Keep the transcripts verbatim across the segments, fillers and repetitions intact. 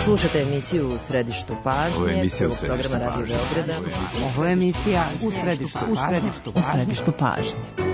Slušate emisiju U središtu pažnje. Ovo je emisija U središtu pažnje. Ovo je emisija U središtu pažnje. U središtu pažnje.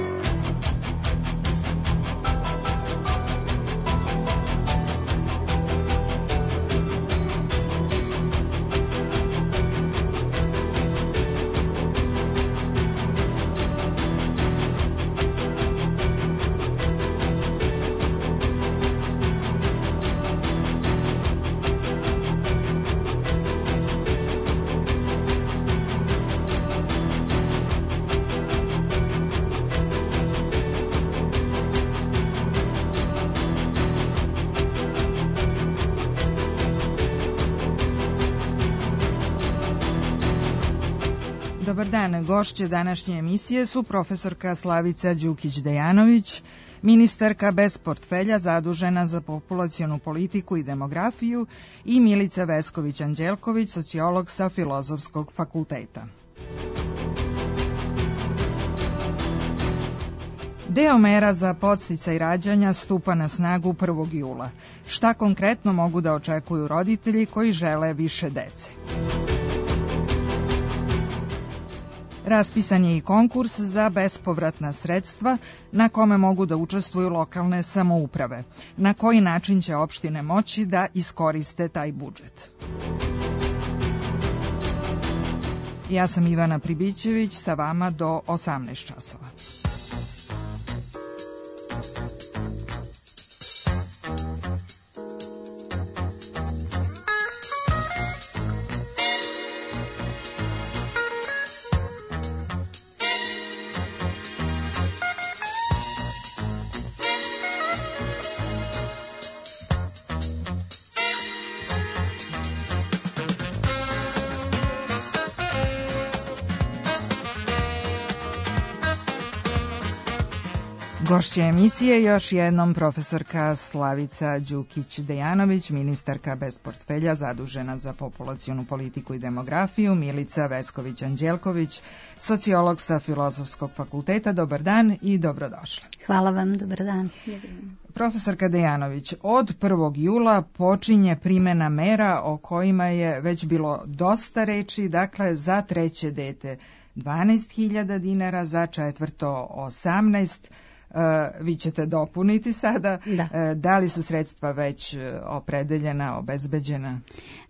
Dobar dan, gošće današnje emisije su profesorka Slavica Đukić-Dejanović, ministarka bez portfelja zadužena za populacionu politiku i demografiju, i Milica Vesković-Anđelković, sociolog sa Filozofskog fakulteta. Deo mera za podsticaj rađanja stupa na snagu prvog jula. Šta konkretno mogu da očekuju roditelji koji žele više dece? Raspisan je i konkurs za bespovratna sredstva na kome mogu da učestvuju lokalne samouprave. Na koji način će opštine moći da iskoriste taj budžet? Ja sam Ivana Pribićević, sa vama do osamnaest časova. Gošća emisije još jednom profesorka Slavica Đukić-Dejanović, ministarka bez portfelja zadužena za populacionu politiku i demografiju, Milica Vesković-Anđelković, sociolog sa Filozofskog fakulteta. Dobar dan i dobrodošla. Hvala vam, dobar dan. Profesorka Dejanović, od prvog jula počinje primena mera o kojima je već bilo dosta reči, dakle za treće dete dvanaest hiljada dinara, za četvrto osamnaest. Uh, vi ćete dopuniti sada. Da. Uh, da li su sredstva već opredeljena, obezbeđena?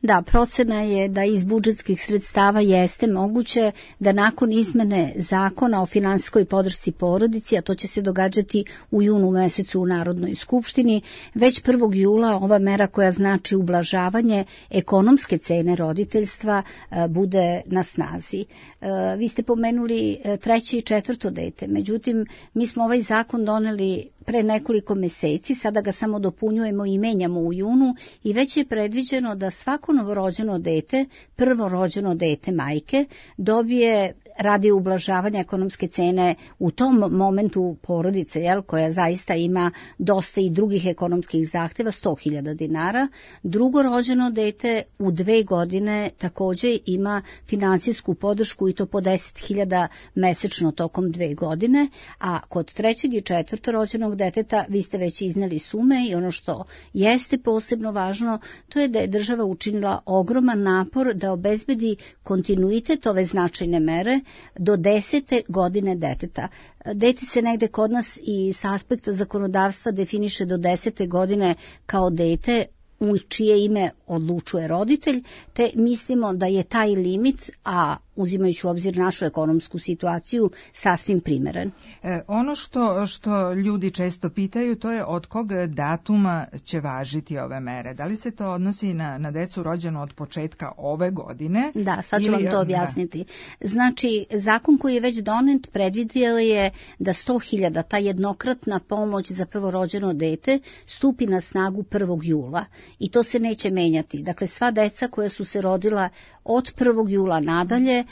Da, procena je da iz budžetskih sredstava jeste moguće da nakon izmene zakona o finansijskoj podršci porodici, a to će se događati u junu mesecu u Narodnoj skupštini, već prvog jula ova mera koja znači ublažavanje ekonomske cene roditeljstva uh, bude na snazi. Uh, vi ste pomenuli uh, treće i četvrto dete, međutim mi smo ovaj zakon doneli pre nekoliko meseci, sada ga samo dopunjujemo i menjamo u junu i već je predviđeno da svako novorođeno dete, prvo rođeno dete majke, dobije radi ublažavanja ekonomske cene u tom momentu porodice, jel, koja zaista ima dosta i drugih ekonomskih zahteva, sto hiljada dinara. Drugo rođeno dete u dve godine takođe ima finansijsku podršku i to po deset hiljada mesečno tokom dve godine, a kod trećeg i četvrto rođenog deteta vi ste već izneli sume i ono što jeste posebno važno, to je da je država učinila ogroman napor da obezbedi kontinuitet ove značajne mere do desete godine deteta. Dete se negde kod nas i s aspekta zakonodavstva definiše do desete godine kao dete u čije ime odlučuje roditelj, te mislimo da je taj limit, a uzimajući u obzir našu ekonomsku situaciju, sasvim primeren. E, ono što, što ljudi često pitaju, to je od kog datuma će važiti ove mere. Da li se to odnosi na, na decu rođenu od početka ove godine? Da, sad ću ili, vam to objasniti. Da. Znači, zakon koji je već donet predvidio je da sto hiljada, ta jednokratna pomoć za prvorođeno dete, stupi na snagu prvog jula. I to se neće menjati. Dakle, sva deca koja su se rodila od prvog jula nadalje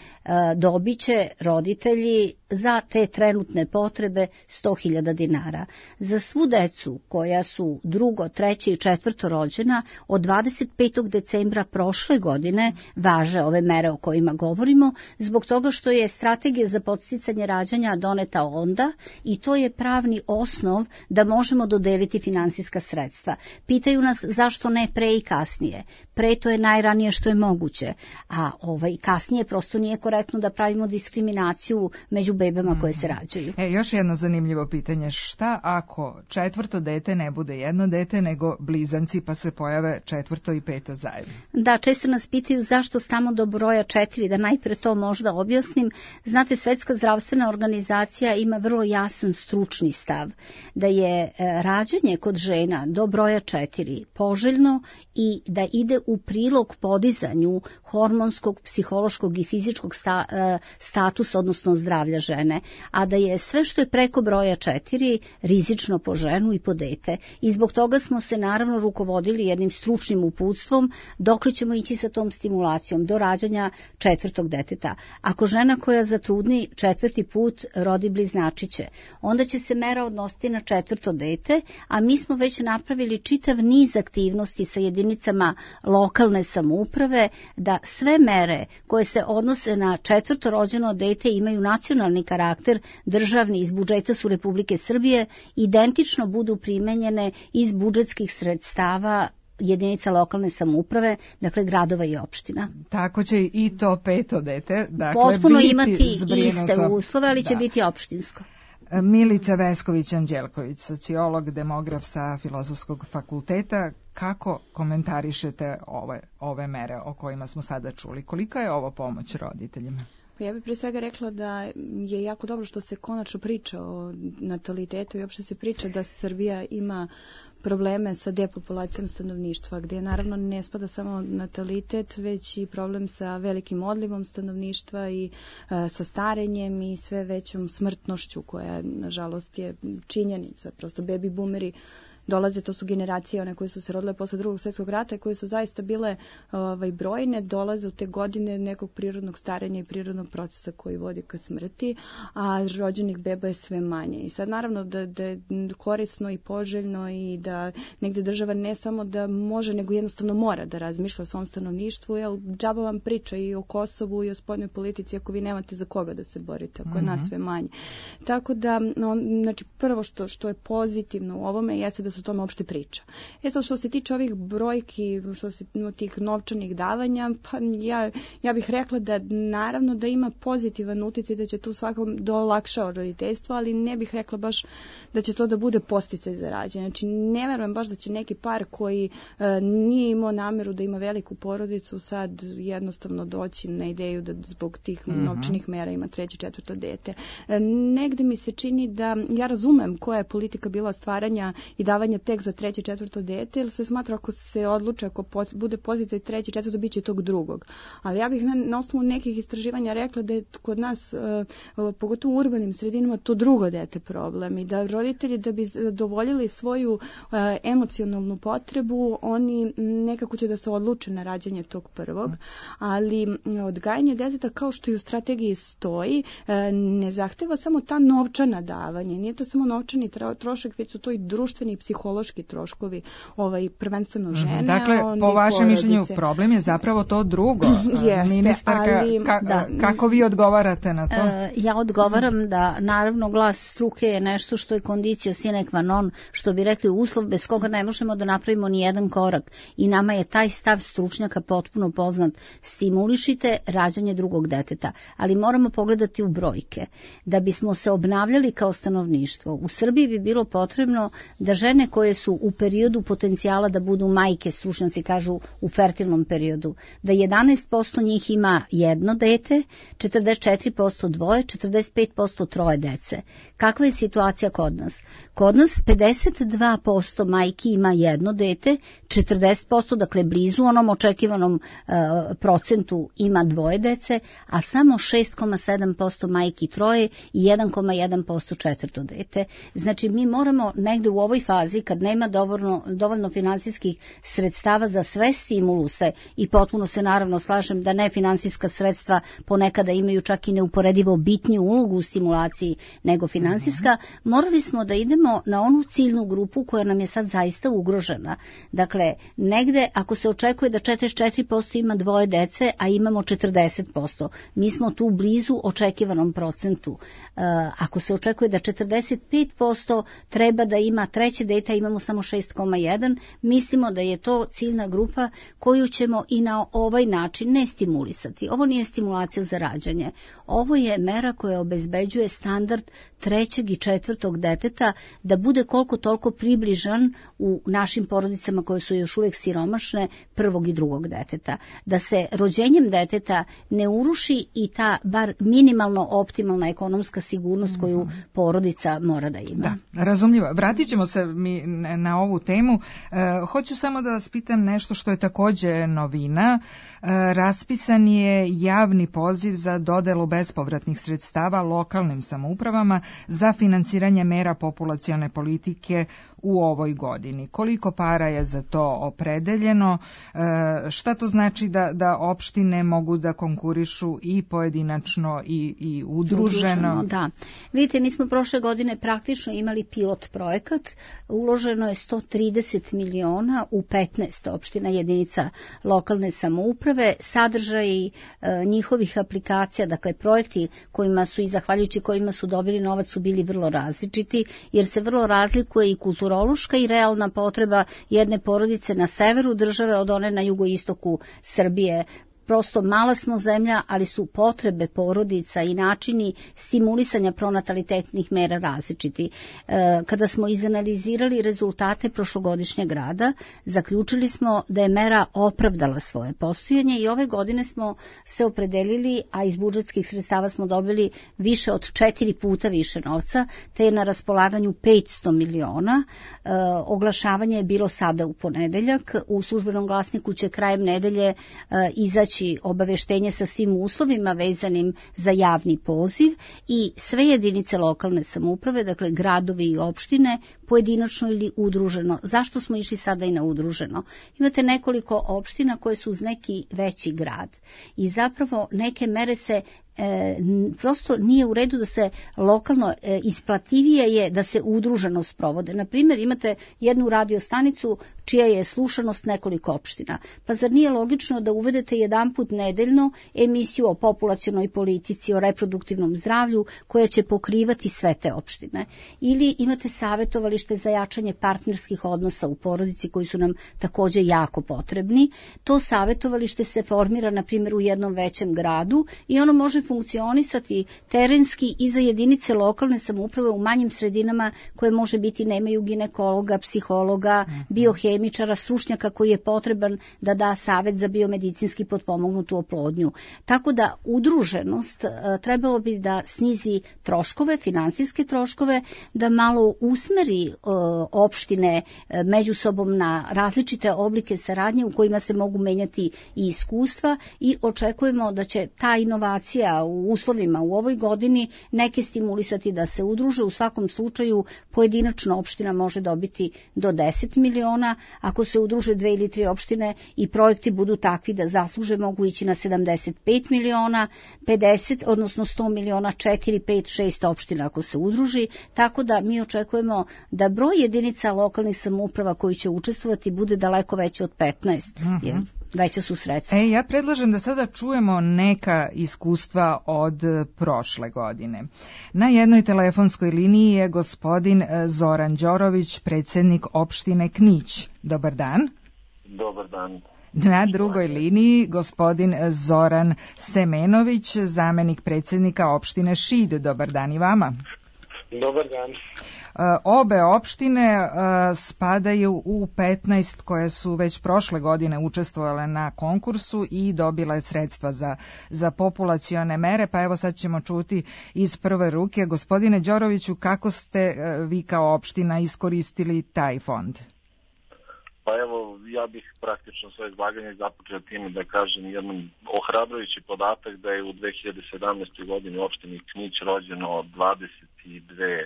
dobit će roditelji za te trenutne potrebe sto hiljada dinara. Za svu decu koja su drugo, treće i četvrto rođena od dvadeset petog decembra prošle godine važe ove mere o kojima govorimo, zbog toga što je strategija za podsticanje rađanja doneta onda i to je pravni osnov da možemo dodeliti finansijska sredstva. Pitaju nas zašto ne pre i kasnije. Pre to je najranije što je moguće, a ovaj kasnije prosto nije korektno da pravimo diskriminaciju među bebama koje se rađaju. E, još jedno zanimljivo pitanje, šta ako četvrto dete ne bude jedno dete nego blizanci pa se pojave četvrto i peto zajedno? Da, često nas pitaju zašto stamo do broja četiri, da najpre to možda objasnim. Znate, Svetska zdravstvena organizacija ima vrlo jasan stručni stav da je rađanje kod žena do broja četiri poželjno i da ide u prilog podizanju hormonskog, psihološkog i fizičkog sta, statusa, odnosno zdravlja žene, a da je sve što je preko broja četiri rizično po ženu i po dete. I zbog toga smo se naravno rukovodili jednim stručnim uputstvom dokle ćemo ići sa tom stimulacijom do rađanja četvrtog deteta. Ako žena koja zatrudni četvrti put rodi bliznačiće, onda će se mera odnositi na četvrto dete, a mi smo već napravili čitav niz aktivnosti sa jedinicama lokalne samouprave da sve mere koje se odnose na četvrto rođeno dete imaju nacionalni karakter, državni iz budžeta su Republike Srbije, identično budu primenjene iz budžetskih sredstava jedinica lokalne samouprave, dakle gradova i opština. Tako će i to peto dete, dakle, potpuno biti imati zbrinuto. Iste uslove, ali da. će biti opštinsko. Milica Vesković-Anđelković, sociolog, demograf sa Filozofskog fakulteta, kako komentarišete ove, ove mere o kojima smo sada čuli? Kolika je ovo pomoć roditeljima? Pa ja bih pre svega rekla da je jako dobro što se konačno priča o natalitetu i uopšte se priča da Srbija ima probleme sa depopulacijom stanovništva, gdje naravno ne spada samo natalitet, već i problem sa velikim odlivom stanovništva i e, sa starenjem i sve većom smrtnošću koja, nažalost, je činjenica. Prosto baby boomeri dolaze, to su generacije one koje su se rodile posle drugog svjetskog rata i koje su zaista bile ovaj, brojne, dolaze u te godine nekog prirodnog starenja i prirodnog procesa koji vodi ka smrti, a rođenih beba je sve manje. I sad naravno da, da je korisno i poželjno i da negde država ne samo da može, nego jednostavno mora da razmišlja o svom stanovništvu, jer džaba vam priča i o Kosovu i o spoljnoj politici ako vi nemate za koga da se borite, ako je Mm-hmm. nas sve manje. Tako da, no, znači prvo što, što je pozitivno u ovome jeste da se o tome uopšte priča. E sad, što se tiče ovih brojki, što se tih novčanih davanja, pa ja, ja bih rekla da naravno da ima pozitivan utjecaj, da će tu svakom dolakšao roditeljstvo, ali ne bih rekla baš da će to da bude podsticaj za rađanje. Znači, ne verujem baš da će neki par koji e, nije imao nameru da ima veliku porodicu sad jednostavno doći na ideju da zbog tih mm-hmm. novčanih mera ima treće, četvrto dete. E, negde mi se čini da ja razumem koja je politika bila stvaranja i davanja tek za treće, četvrto dete, jer se smatra ako se odluče, ako pos, bude podsticaj treće, četvrto, bit će tog drugog. Ali ja bih na, na osnovu nekih istraživanja rekla da je kod nas, uh, pogotovo u urbanim sredinama, to drugo dete problem i da roditelji da bi zadovoljili svoju uh, emocionalnu potrebu, oni nekako će da se odluče na rađanje tog prvog, ali odgajanje deteta kao što i u strategiji stoji, uh, ne zahteva samo ta novčana davanja, nije to samo novčani trošak, već su to i društveni i psihološki troškovi, ovaj, prvenstveno žene. Mm, dakle, po vašem mišljenju problem je zapravo to drugo. Jeste, Ministarka, ali, ka, da. kako vi odgovarate na to? E, ja odgovaram da naravno glas struke je nešto što je condicio sine qua non, što bi rekli uslov bez koga ne možemo da napravimo ni jedan korak. I nama je taj stav stručnjaka potpuno poznat. Stimulišite rađanje drugog deteta, ali moramo pogledati u brojke. Da bismo se obnavljali kao stanovništvo, u Srbiji bi bilo potrebno da žene koje su u periodu potencijala da budu majke, stručnjaci kažu u fertilnom periodu, da jedanaest posto njih ima jedno dete, četrdeset četiri posto dvoje, četrdeset pet posto troje dece. Kakva je situacija kod nas? Kod nas pedeset dva posto majki ima jedno dete, četrdeset posto, dakle blizu onom očekivanom uh, procentu ima dvoje dece, a samo šest zarez sedam posto majki troje i jedan zarez jedan posto četvrto dete. Znači mi moramo negde u ovoj fazi fazi kad nema dovoljno, dovoljno finansijskih sredstava za sve stimuluse i potpuno se naravno slažem da nefinansijska sredstva ponekada imaju čak i neuporedivo bitniju ulogu u stimulaciji nego finansijska, mm-hmm. morali smo da idemo na onu ciljnu grupu koja nam je sad zaista ugrožena. Dakle, negde ako se očekuje da četrdeset četiri posto ima dvoje dece, a imamo četrdeset posto, mi smo tu blizu očekivanom procentu. Uh, ako se očekuje da četrdeset pet posto treba da ima treće dete, a imamo samo šest zarez jedan, mislimo da je to ciljna grupa koju ćemo i na ovaj način ne stimulisati. Ovo nije stimulacija za rađanje. Ovo je mera koja obezbeđuje standard trećeg i četvrtog deteta da bude koliko toliko približan u našim porodicama koje su još uvijek siromašne prvog i drugog deteta. Da se rođenjem deteta ne uruši i ta bar minimalno optimalna ekonomska sigurnost koju porodica mora da ima. Da, razumljivo. Vratit ćemo se mi na ovu temu. E, hoću samo da vas pitam nešto što je takođe novina. E, raspisan je javni poziv za dodelu bespovratnih sredstava lokalnim samoupravama za finansiranje mera populacione politike u ovoj godini. Koliko para je za to opredeljeno? E, šta to znači da, da opštine mogu da konkurišu i pojedinačno i, i udruženo? Udruženo, da. Vidite, mi smo prošle godine praktično imali pilot projekat. Uloženo je sto trideset miliona u petnaest opština jedinica lokalne samouprave. Sadržaj e, njihovih aplikacija, dakle projekti kojima su i zahvaljujući kojima su dobili novac su bili vrlo različiti, jer se vrlo razlikuje i kulturološka i realna potreba jedne porodice na severu države od one na jugoistoku Srbije. Prosto mala smo zemlja, ali su potrebe porodica i načini stimulisanja pronatalitetnih mera različiti. E, kada smo izanalizirali rezultate prošlogodišnjeg rada, zaključili smo da je mera opravdala svoje postojanje i ove godine smo se opredelili, a iz budžetskih sredstava smo dobili više od četiri puta više novca, te je na raspolaganju petsto miliona. E, oglašavanje je bilo sada u ponedeljak. U službenom glasniku će krajem nedelje e, izaći obaveštenje sa svim uslovima vezanim za javni poziv i sve jedinice lokalne samouprave, dakle gradovi i opštine, pojedinačno ili udruženo. Zašto smo išli sada i na udruženo? Imate nekoliko opština koje su uz neki veći grad i zapravo neke mere se E, prosto nije u redu da se lokalno e, isplativije je da se udruženo sprovode. Na primjer, imate jednu radiostanicu čija je slušanost nekoliko opština. Pa zar nije logično da uvedete jedanput nedeljno emisiju o populacionoj politici, o reproduktivnom zdravlju koja će pokrivati sve te opštine? Ili imate savjetovalište za jačanje partnerskih odnosa u porodici koji su nam takođe jako potrebni. To savjetovalište se formira na primjer u jednom većem gradu i ono može funkcionisati terenski i za jedinice lokalne samouprave u manjim sredinama koje može biti nemaju ginekologa, psihologa, biohemičara, stručnjaka koji je potreban da da savet za biomedicinski potpomognutu oplodnju. Tako da udruženost trebalo bi da snizi troškove, finansijske troškove, da malo usmeri e, opštine e, među sobom na različite oblike saradnje u kojima se mogu menjati i iskustva i očekujemo da će ta inovacija u uslovima u ovoj godini neke stimulisati da se udruže. U svakom slučaju pojedinačno opština može dobiti do deset miliona, ako se udruže dve ili tri opštine i projekti budu takvi da zasluže, mogu ići na sedamdeset pet miliona, pedeset, odnosno sto miliona, četiri, pet, šest opština ako se udruži, tako da mi očekujemo da broj jedinica lokalnih samouprava koji će učestvovati bude daleko veći od petnaest, uh-huh. jer veća su sredstva. E, ja predlažem da sada čujemo neka iskustva od prošle godine. Na jednoj telefonskoj liniji je gospodin Zoran Đorović, predsjednik opštine Knić. Dobar dan. Dobar dan. Na drugoj liniji gospodin Zoran Semenović, zamenik predsjednika opštine Šid. Dobar dan i vama. Dobar dan. Obe opštine uh, spadaju u petnaest koje su već prošle godine učestvovale na konkursu i dobile sredstva za, za populacione mere, pa evo sad ćemo čuti iz prve ruke. Gospodine Đoroviću, kako ste uh, vi kao opština iskoristili taj fond? Pa evo, ja bih praktično svoje izlaganje započeo time da kažem jedan ohrabrujući podatak da je u dve hiljade sedamnaestoj godini u opštini Knić rođeno dvadeset dve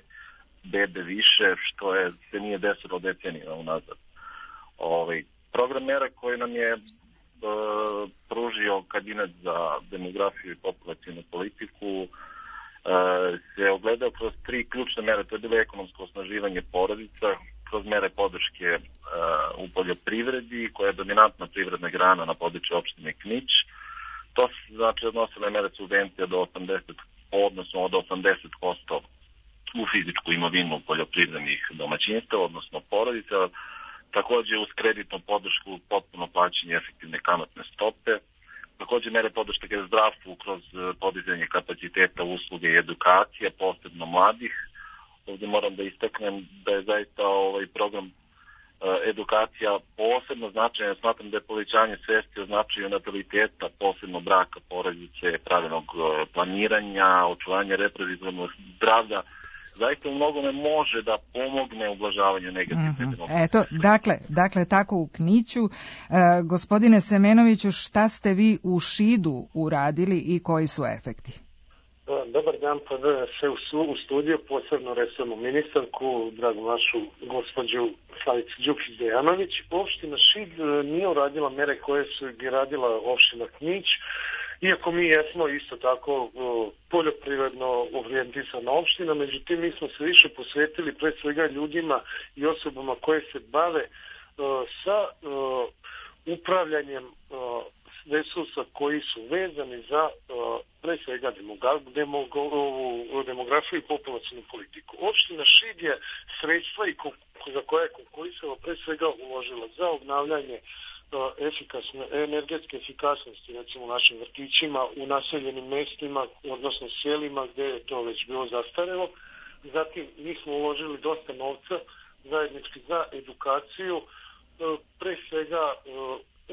bebe više, što je, se nije desilo decenijama unazad. Ovaj, program mera koji nam je Uh, pružio kabinet za demografiju i populacijnu politiku uh, se ogledao kroz tri ključne mere. To je bilo ekonomsko osnaživanje porodica, kroz mere podrške uh, u poljoprivredi, koja je dominantna privredna grana na području opštine Knić. To se znači odnosile mere subvencija do osamdeset, odnosno od osamdeset posto u fizičku imovinu poljoprivrednih domaćinstva, odnosno porodica. Takođe uz kreditnu podršku potpuno plaćanje efektivne kamatne stope. Takođe mere podrške zdravstvu kroz podizanje kapaciteta usluge i edukacija, posebno mladih. Ovdje moram da istaknem da je zaista ovaj program edukacija posebno značajan. Smatram da je povećanje svesti o značaju nataliteta, posebno braka, porodice, pravilnog planiranja, očuvanja reproduktivnog zdravlja, zaista u mnogome može da pomogne ublažavanju negativne mm-hmm. demografije. Eto, dakle, dakle, tako u Kniću. E, gospodine Semenoviću, šta ste vi u Šidu uradili i koji su efekti? Dobar dan, pa da se u, u studiju, posebno resornu ministarku, dragu našu gospođu Slavicu Đukić-Dejanović. Opština Šid nije uradila mere koje su radila opština Knić, iako mi jesmo isto tako poljoprivredno orijentisana opština, međutim mi smo se više posvetili pre svega ljudima i osobama koje se bave uh, sa uh, upravljanjem uh, resursa koji su vezani za uh, pre svega demografiju i populacijnu politiku. Opština Šid je sredstva i za koje je konkurisala pre svega uložila za obnavljanje efikasne, energetske efikasnosti, recimo u našim vrtićima, u naseljenim mestima, odnosno selima gde je to već bilo zastarelo. Zatim mi smo uložili dosta novca zajednički za edukaciju, pre svega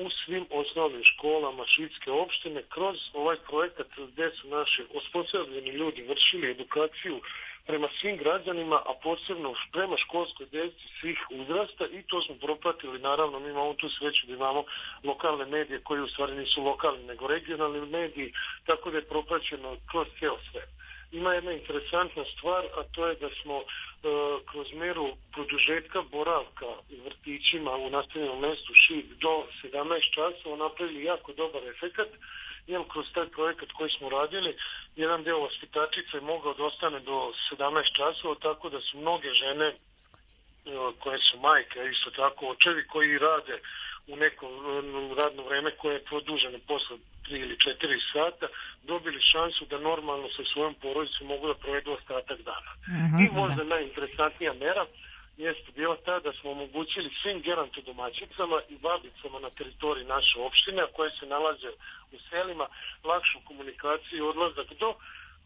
u svim osnovnim školama Šidske opštine kroz ovaj projekat gde su naši osposobljeni ljudi vršili edukaciju prema svim građanima, a posebno prema školskoj djeci svih uzrasta, i to smo propratili. Naravno, mi imamo tu sreću da imamo lokalne medije koji u stvari nisu lokalni nego regionalni mediji, tako da je propraćeno kroz ceo sve. Ima jedna interesantna stvar, a to je da smo e, kroz meru produžetka boravka u vrtićima u nastavljenom mestu Šid do sedamnaest časova napravili jako dobar efekat. Jer kroz taj projekat koji smo radili, jedan deo vaspitačica je mogao da ostane do sedamnaest časova, tako da su mnoge žene koje su majke, isto tako očevi koji rade u neko radno vreme koje je produženo posle tri ili četiri sata, dobili šansu da normalno sa svojom porodicom mogu da provedu ostatak dana. Mm-hmm. I možda najinteresantnija mera jeste bila ta da smo omogućili svim gerontodomaćicama i babicama na teritoriji naše opštine, koje se nalaze u selima, lakšu komunikaciju i odlazak do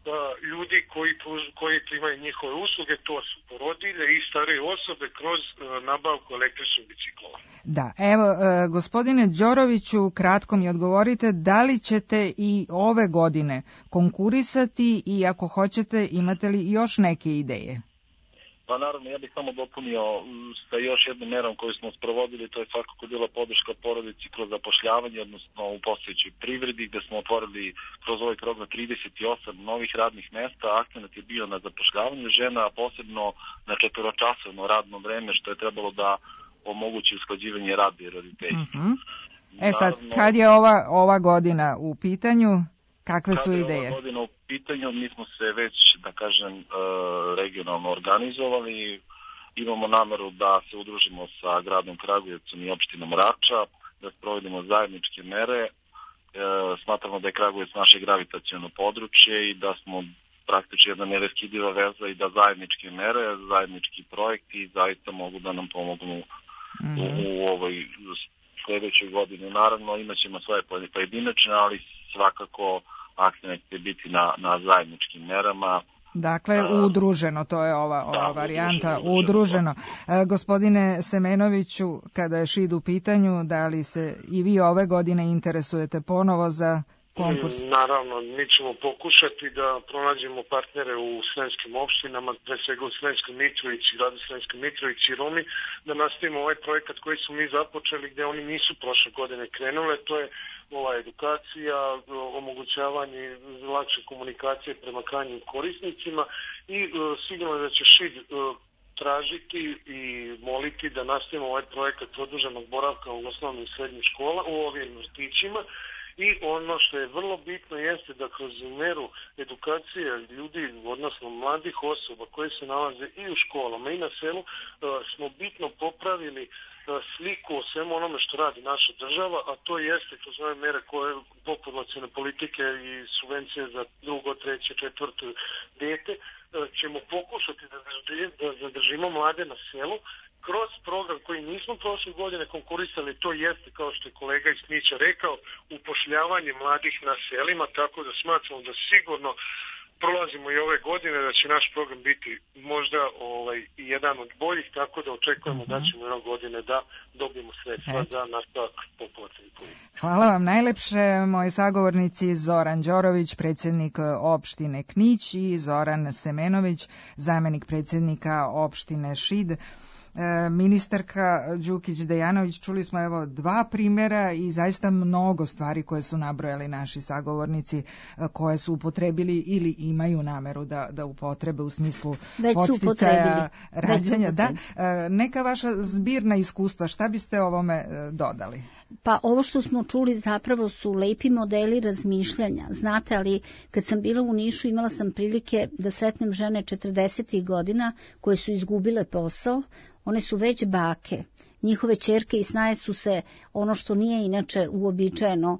da, ljudi koji, koji primaju njihove usluge, to su porodilje i starije osobe kroz uh, nabavku električnih biciklova. Da, evo, uh, gospodine Đoroviću, kratko mi odgovorite, da li ćete i ove godine konkurisati i ako hoćete, imate li još neke ideje? Pa naravno, ja bih samo dopunio sa još jednom merom koju smo sprovodili, to je svakako bila podrška porodici kroz zapošljavanje, odnosno u postojećoj privredi, gde smo otvorili kroz ovaj program trideset osam novih radnih mesta. Akcenat je bio na zapošljavanju žena, a posebno na četvoročasovno radno vreme, što je trebalo da omogući usklađivanje rada i roditeljstva. Mm-hmm. E sad, kad je ova, ova godina u pitanju, kakve su ideje? Kad je ova godina u pitanju, mi smo se već, da kažem, regionalno organizovali. Imamo nameru da se udružimo sa gradom Kragujevcom i opštinom Rača, da sprovedimo zajedničke mere. Smatramo da je Kragujevac naše gravitaciono područje i da smo praktično jedna neraskidiva veza i da zajedničke mere, zajednički projekti zaista mogu da nam pomognu mm-hmm. u, u ovoj sljedećoj godini. Naravno, imat ćemo svoje pojedinačne, ali svakako akcent će biti na, na zajedničkim merama. Dakle, udruženo, to je ova, ova da, varijanta, udruženo. udruženo. E, gospodine Semenoviću, kada je Šid u pitanju, da li se i vi ove godine interesujete ponovo za konkurs? Naravno, mi ćemo pokušati da pronađemo partnere u sremskim opštinama, pre svega u Sremskoj Mitrovici, gradu Sremskoj Mitrovici i Rumi, da nastavimo ovaj projekat koji smo mi započeli, gde oni nisu prošle godine krenule, to je ova edukacija, omogućavanje lakše komunikacije prema krajnjim korisnicima i sigurno da će ŠID tražiti i moliti da nastavimo ovaj projekat produženog boravka u osnovnim i srednjim školama, u ovim vrtićima. I ono što je vrlo bitno jeste da kroz meru edukacije ljudi, odnosno mladih osoba koji se nalaze i u školama i na selu, smo bitno popravili sliku o svemu onome što radi naša država, a to jeste kroz ove mere koje populacione politike i subvencije za drugo, treće, četvrto dete, ćemo pokušati da zadržimo mlade na selu kroz program koji nismo prošle godine konkurisali, to jeste, kao što je kolega iz Knića rekao, upošljavanje mladih na selima, tako da smatramo da sigurno prolazimo i ove godine, da će naš program biti možda ovaj, jedan od boljih, tako da očekujemo uh-huh. da ćemo ove godine da dobijemo sredstva za nastavak populacione politike. Hvala vam najlepše, moji sagovornici Zoran Đorović, predsjednik opštine Knić, i Zoran Semenović, zamjenik predsjednika opštine Šid. Ministarka Đukić-Dejanović, čuli smo evo dva primjera i zaista mnogo stvari koje su nabrojali naši sagovornici, koje su upotrebili ili imaju nameru da, da upotrebe u smislu podsticaja rađanja. Da, neka vaša zbirna iskustva, šta biste ovome dodali? Pa ovo što smo čuli zapravo su lepi modeli razmišljanja. Znate, ali kad sam bila u Nišu imala sam prilike da sretnem žene četrdesetih godina koje su izgubile posao. One su već bake. Njihove ćerke i snaje su se, ono što nije inače uobičajeno,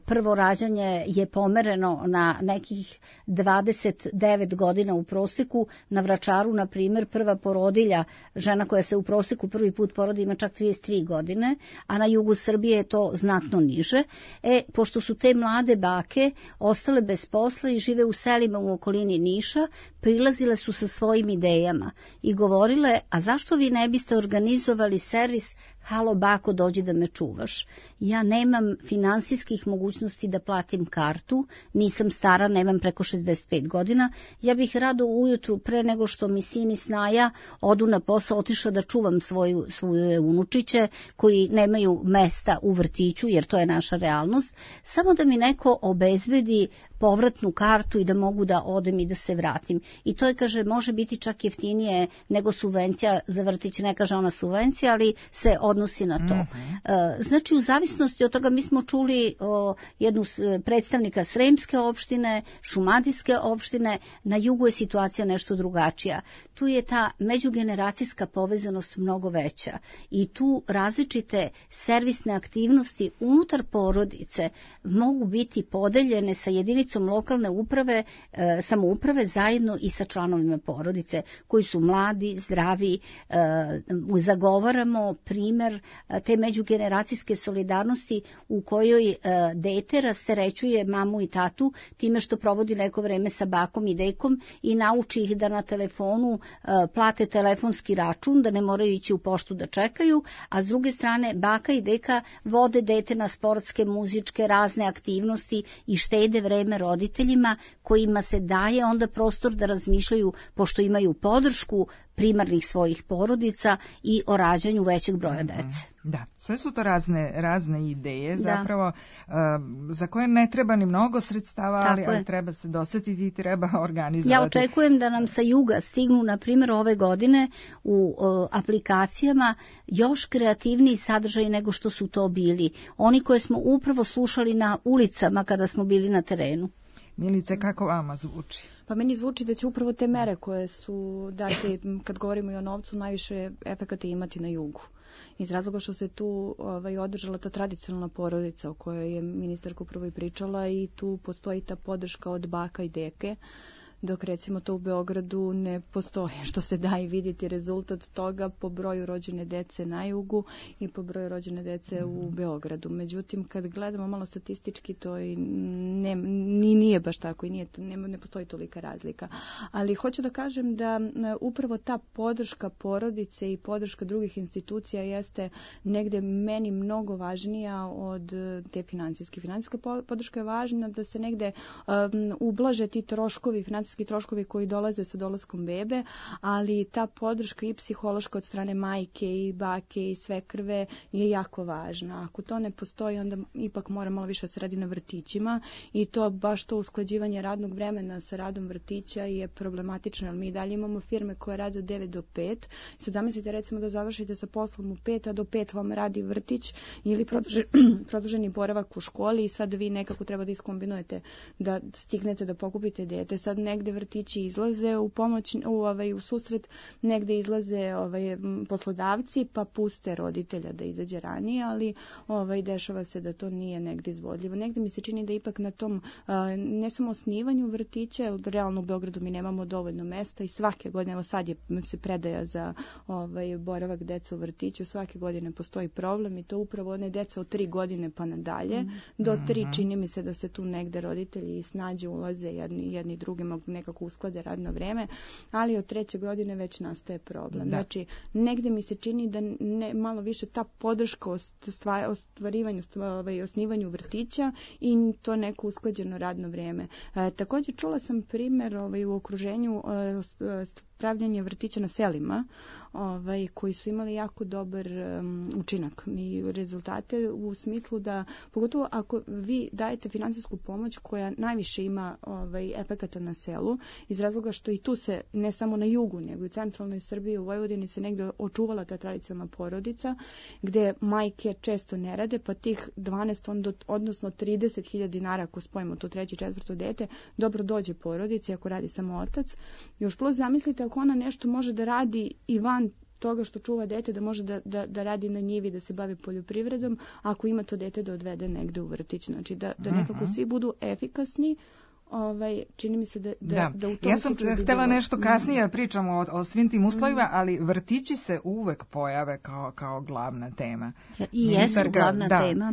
prvo rađanje je pomereno na nekih dvadeset devet godina u proseku. Na Vračaru, na primjer, prva porodilja, žena koja se u proseku prvi put porodi, ima čak trideset tri godine, a na jugu Srbije je to znatno niže. E, pošto su te mlade bake ostale bez posla i žive u selima u okolini Niša, prilazile su sa svojim idejama i govorile, a zašto vi ne biste organizovali servis halo bako, dođi da me čuvaš. Ja nemam finansijskih mogućnosti da platim kartu, nisam stara, nemam preko šezdeset pet godina, ja bih rado ujutru pre nego što mi sin i snaja odu na posao otišla da čuvam svoju, svoje unučiće koji nemaju mesta u vrtiću, jer to je naša realnost, samo da mi neko obezbedi povratnu kartu i da mogu da odem i da se vratim. I to je, kaže, može biti čak jeftinije nego subvencija za vrtić, ne kaže ona subvencija, ali se odnosi na to. Mm-hmm. Znači, u zavisnosti od toga mi smo čuli o, jednu predstavnika Sremske opštine, Šumadijske opštine, na jugu je situacija nešto drugačija. Tu je ta međugeneracijska povezanost mnogo veća i tu različite servisne aktivnosti unutar porodice mogu biti podeljene sa jedinicom lokalne uprave, e, samouprave zajedno i sa članovima porodice koji su mladi, zdravi. E, zagovaramo primer e, te međugeneracijske solidarnosti u kojoj e, dete rasterećuje mamu i tatu time što provodi neko vreme sa bakom i dekom i nauči ih da na telefonu e, plate telefonski račun, da ne moraju ići u poštu da čekaju, a s druge strane baka i deka vode dete na sportske, muzičke, razne aktivnosti i štede vreme roditeljima kojima se daje onda prostor da razmišljaju, pošto imaju podršku primarnih svojih porodica, i o rađanju većeg broja dece. Da, sve su to razne, razne ideje, zapravo uh, za koje ne treba ni mnogo sredstava, ali, ali treba se dosetiti i treba organizovati. Ja očekujem da nam sa juga stignu, na primjer, ove godine u uh, aplikacijama još kreativniji sadržaj nego što su to bili. Oni koje smo upravo slušali na ulicama kada smo bili na terenu. Milice, kako vama zvuči? Pa meni zvuči da će upravo te mere koje su date, kad govorimo i o novcu, najviše efekata imati na jugu. Iz razloga što se tu ovaj, održala ta tradicionalna porodica o kojoj je ministarka upravo i pričala, i tu postoji ta podrška od baka i deke, dok recimo to u Beogradu ne postoji, što se da i vidjeti rezultat toga po broju rođene dece na jugu i po broju rođene dece u Beogradu. Međutim, kad gledamo malo statistički, to i ne, ni, nije baš tako i nije, ne, ne postoji tolika razlika. Ali hoću da kažem da upravo ta podrška porodice i podrška drugih institucija jeste negde meni mnogo važnija od te financijske. Financijska podrška je važna da se negde um, ublaže ti troškovi, financijski financijski troškovi koji dolaze sa dolaskom bebe, ali ta podrška i psihološka od strane majke i bake i svekrve je jako važna. Ako to ne postoji, onda ipak mora malo više se radi na vrtićima i to baš to usklađivanje radnog vremena sa radom vrtića je problematično, jer mi dalje imamo firme koje rade od devet do pet. Sad zamislite recimo da završite sa poslom u pet, a do pet vam radi vrtić ili produži, produženi boravak u školi i sad vi nekako treba da iskombinujete da stignete da pokupite dete. Sad negde vrtići izlaze u pomoć, u, ovaj, u susret, negde izlaze ovaj, poslodavci pa puste roditelja da izađe ranije, ali ovaj, dešava se da to nije negde izvodljivo. Negde mi se čini da ipak na tom a, ne samo osnivanju vrtića, jer realno u Beogradu mi nemamo dovoljno mesta i svake godine, evo sad je se predaja za ovaj, boravak deca u vrtiću, svake godine postoji problem i to upravo one deca od tri godine pa nadalje. Mm. Do tri čini mi se da se tu negde roditelji snađe, ulaze jedni, jedni drugima, nekako usklade radno vreme, ali od treće godine već nastaje problem. Da. Znači, negde mi se čini da ne, malo više ta podrška ostvarivanju, ovaj, osnivanju vrtića i to neko usklađeno radno vreme. E, također čula sam primjer ovaj, u okruženju e, pravljanje vrtića na selima, ovaj, koji su imali jako dobar um, učinak i rezultate u smislu da, pogotovo ako vi dajete finansijsku pomoć koja najviše ima ovaj, efekata na selu, iz razloga što i tu se, ne samo na jugu, nego i u centralnoj Srbiji, u Vojvodini se negdje očuvala ta tradicionalna porodica, gde majke često ne rade, pa tih dvanaest, odnosno trideset hiljada dinara, ako spojimo to treće i četvrto dete, dobro dođe porodici ako radi samo otac. Još plus zamislite ako ona nešto može da radi i van toga što čuva dete, da može da, da, da radi na njivi, da se bavi poljoprivredom, ako ima to dete da odvede negde u vrtić. Znači da, da nekako svi budu efikasni. Ovaj, čini mi se da, da, da. da u tom ja sam htjela bilo... nešto kasnije pričamo o, o svim tim uslovima, mm. ali vrtići se uvek pojave kao, kao glavna tema. I jesu glavna da. tema.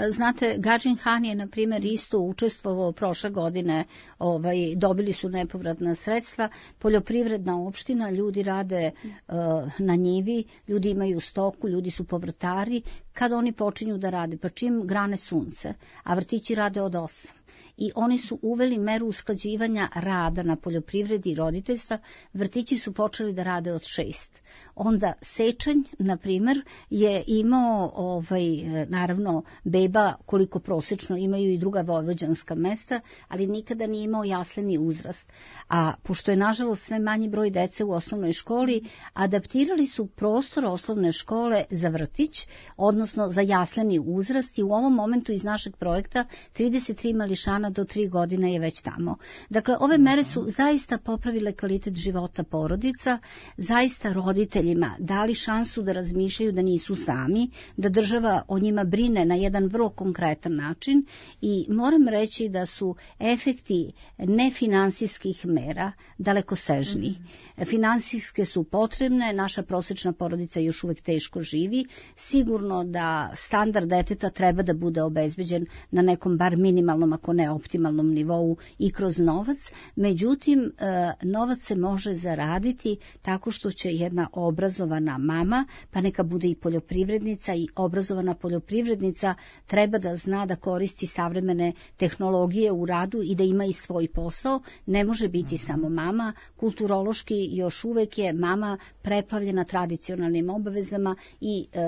Znate, Gadžin Han je, na primjer, isto učestvovao prošle godine, ovaj, dobili su nepovratna sredstva, poljoprivredna opština, ljudi rade uh, na njivi, ljudi imaju stoku, ljudi su povrtari, kad oni počinju da rade, pa čim grane sunce, a vrtići rade od osam. I oni su uveli meru usklađivanja rada na poljoprivredi i roditeljstva, vrtići su počeli da rade od šest. Onda Sečanj, na primjer, je imao, ovaj, naravno, beba koliko prosečno imaju i druga vojvođanska mesta, ali nikada nije imao jasleni uzrast. A pošto je, nažalost, sve manji broj dece u osnovnoj školi, adaptirali su prostor osnovne škole za vrtić, odnosno za jasleni uzrast i u ovom momentu iz našeg projekta trideset tri mališana do tri godine je već tamo. Dakle, ove mere su zaista popravile kvalitet života porodica, zaista roditeljima dali šansu da razmišljaju da nisu sami, da država o njima brine na jedan vrlo konkretan način i moram reći da su efekti nefinansijskih mera dalekosežni. Mm-hmm. Finansijske su potrebne, naša prosječna porodica još uvek teško živi, sigurno da standard deteta treba da bude obezbeđen na nekom bar minimalnom, ako ne optimalnom nivou i kroz novac, međutim novac se može zaraditi tako što će jedna obrazovana mama, pa neka bude i poljoprivrednica, i obrazovana poljoprivrednica treba da zna da koristi savremene tehnologije u radu i da ima i svoj posao, ne može biti samo mama, kulturološki još uvek je mama preplavljena tradicionalnim obavezama i e,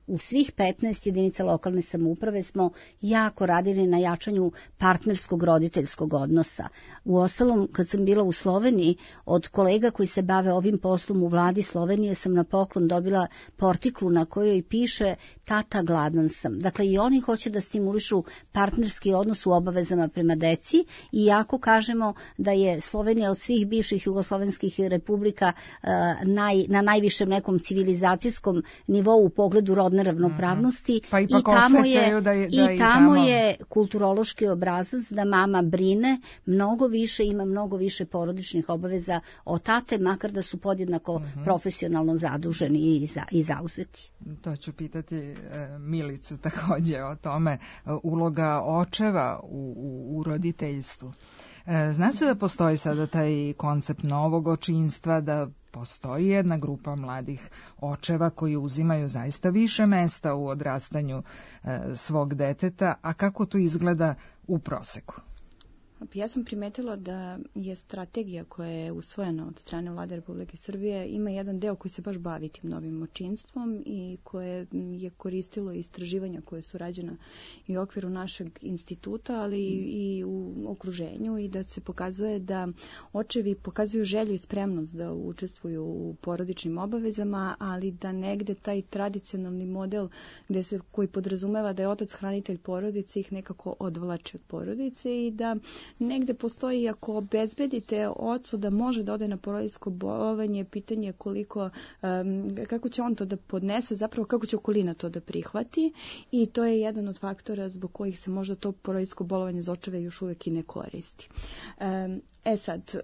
u svih petnaest jedinica lokalne samouprave smo jako radili na jačanju partnerskog roditeljskog odnosa. Uostalom, kad sam bila u Sloveniji, od kolega koji se bave ovim poslom u vladi Slovenije sam na poklon dobila portiklu na kojoj piše tata gladan sam. Dakle, i oni hoće da stimulišu partnerski odnos u obavezama prema deci i jako kažemo da je Slovenija od svih bivših jugoslovenskih republika uh, naj, na najvišem nekom civilizacijskom nivou u pogledu rodne ravnopravnosti. Pa i tamo je, da je, da i tamo je kulturološki obrazac da mama brine mnogo više, ima mnogo više porodičnih obaveza od tate, makar da su podjednako uh-huh. profesionalno zaduženi i, za, i zauzeti. To ću pitati e, Milicu takođe o tome, e, uloga očeva u, u, u roditeljstvu. E, zna se da postoji sada taj koncept novog očinstva, da postoji jedna grupa mladih očeva koji uzimaju zaista više mesta u odrastanju e, svog deteta, a kako to izgleda u proseku? Ja sam primetila da je strategija koja je usvojena od strane Vlade Republike Srbije ima jedan deo koji se baš bavi tim novim očinstvom i koje je koristilo istraživanja koje su rađena i u okviru našeg instituta, ali i u okruženju, i da se pokazuje da očevi pokazuju želju i spremnost da učestvuju u porodičnim obavezama, ali da negde taj tradicionalni model gde se, koji podrazumeva da je otac hranitelj porodice ih nekako odvlači od porodice i da negde postoji, ako obezbedite ocu da može da ode na porodiljsko bolovanje, pitanje koliko, um, kako će on to da podnese, zapravo kako će okolina to da prihvati, i to je jedan od faktora zbog kojih se možda to porodiljsko bolovanje za očeve još uvek i ne koristi. Um, E sad,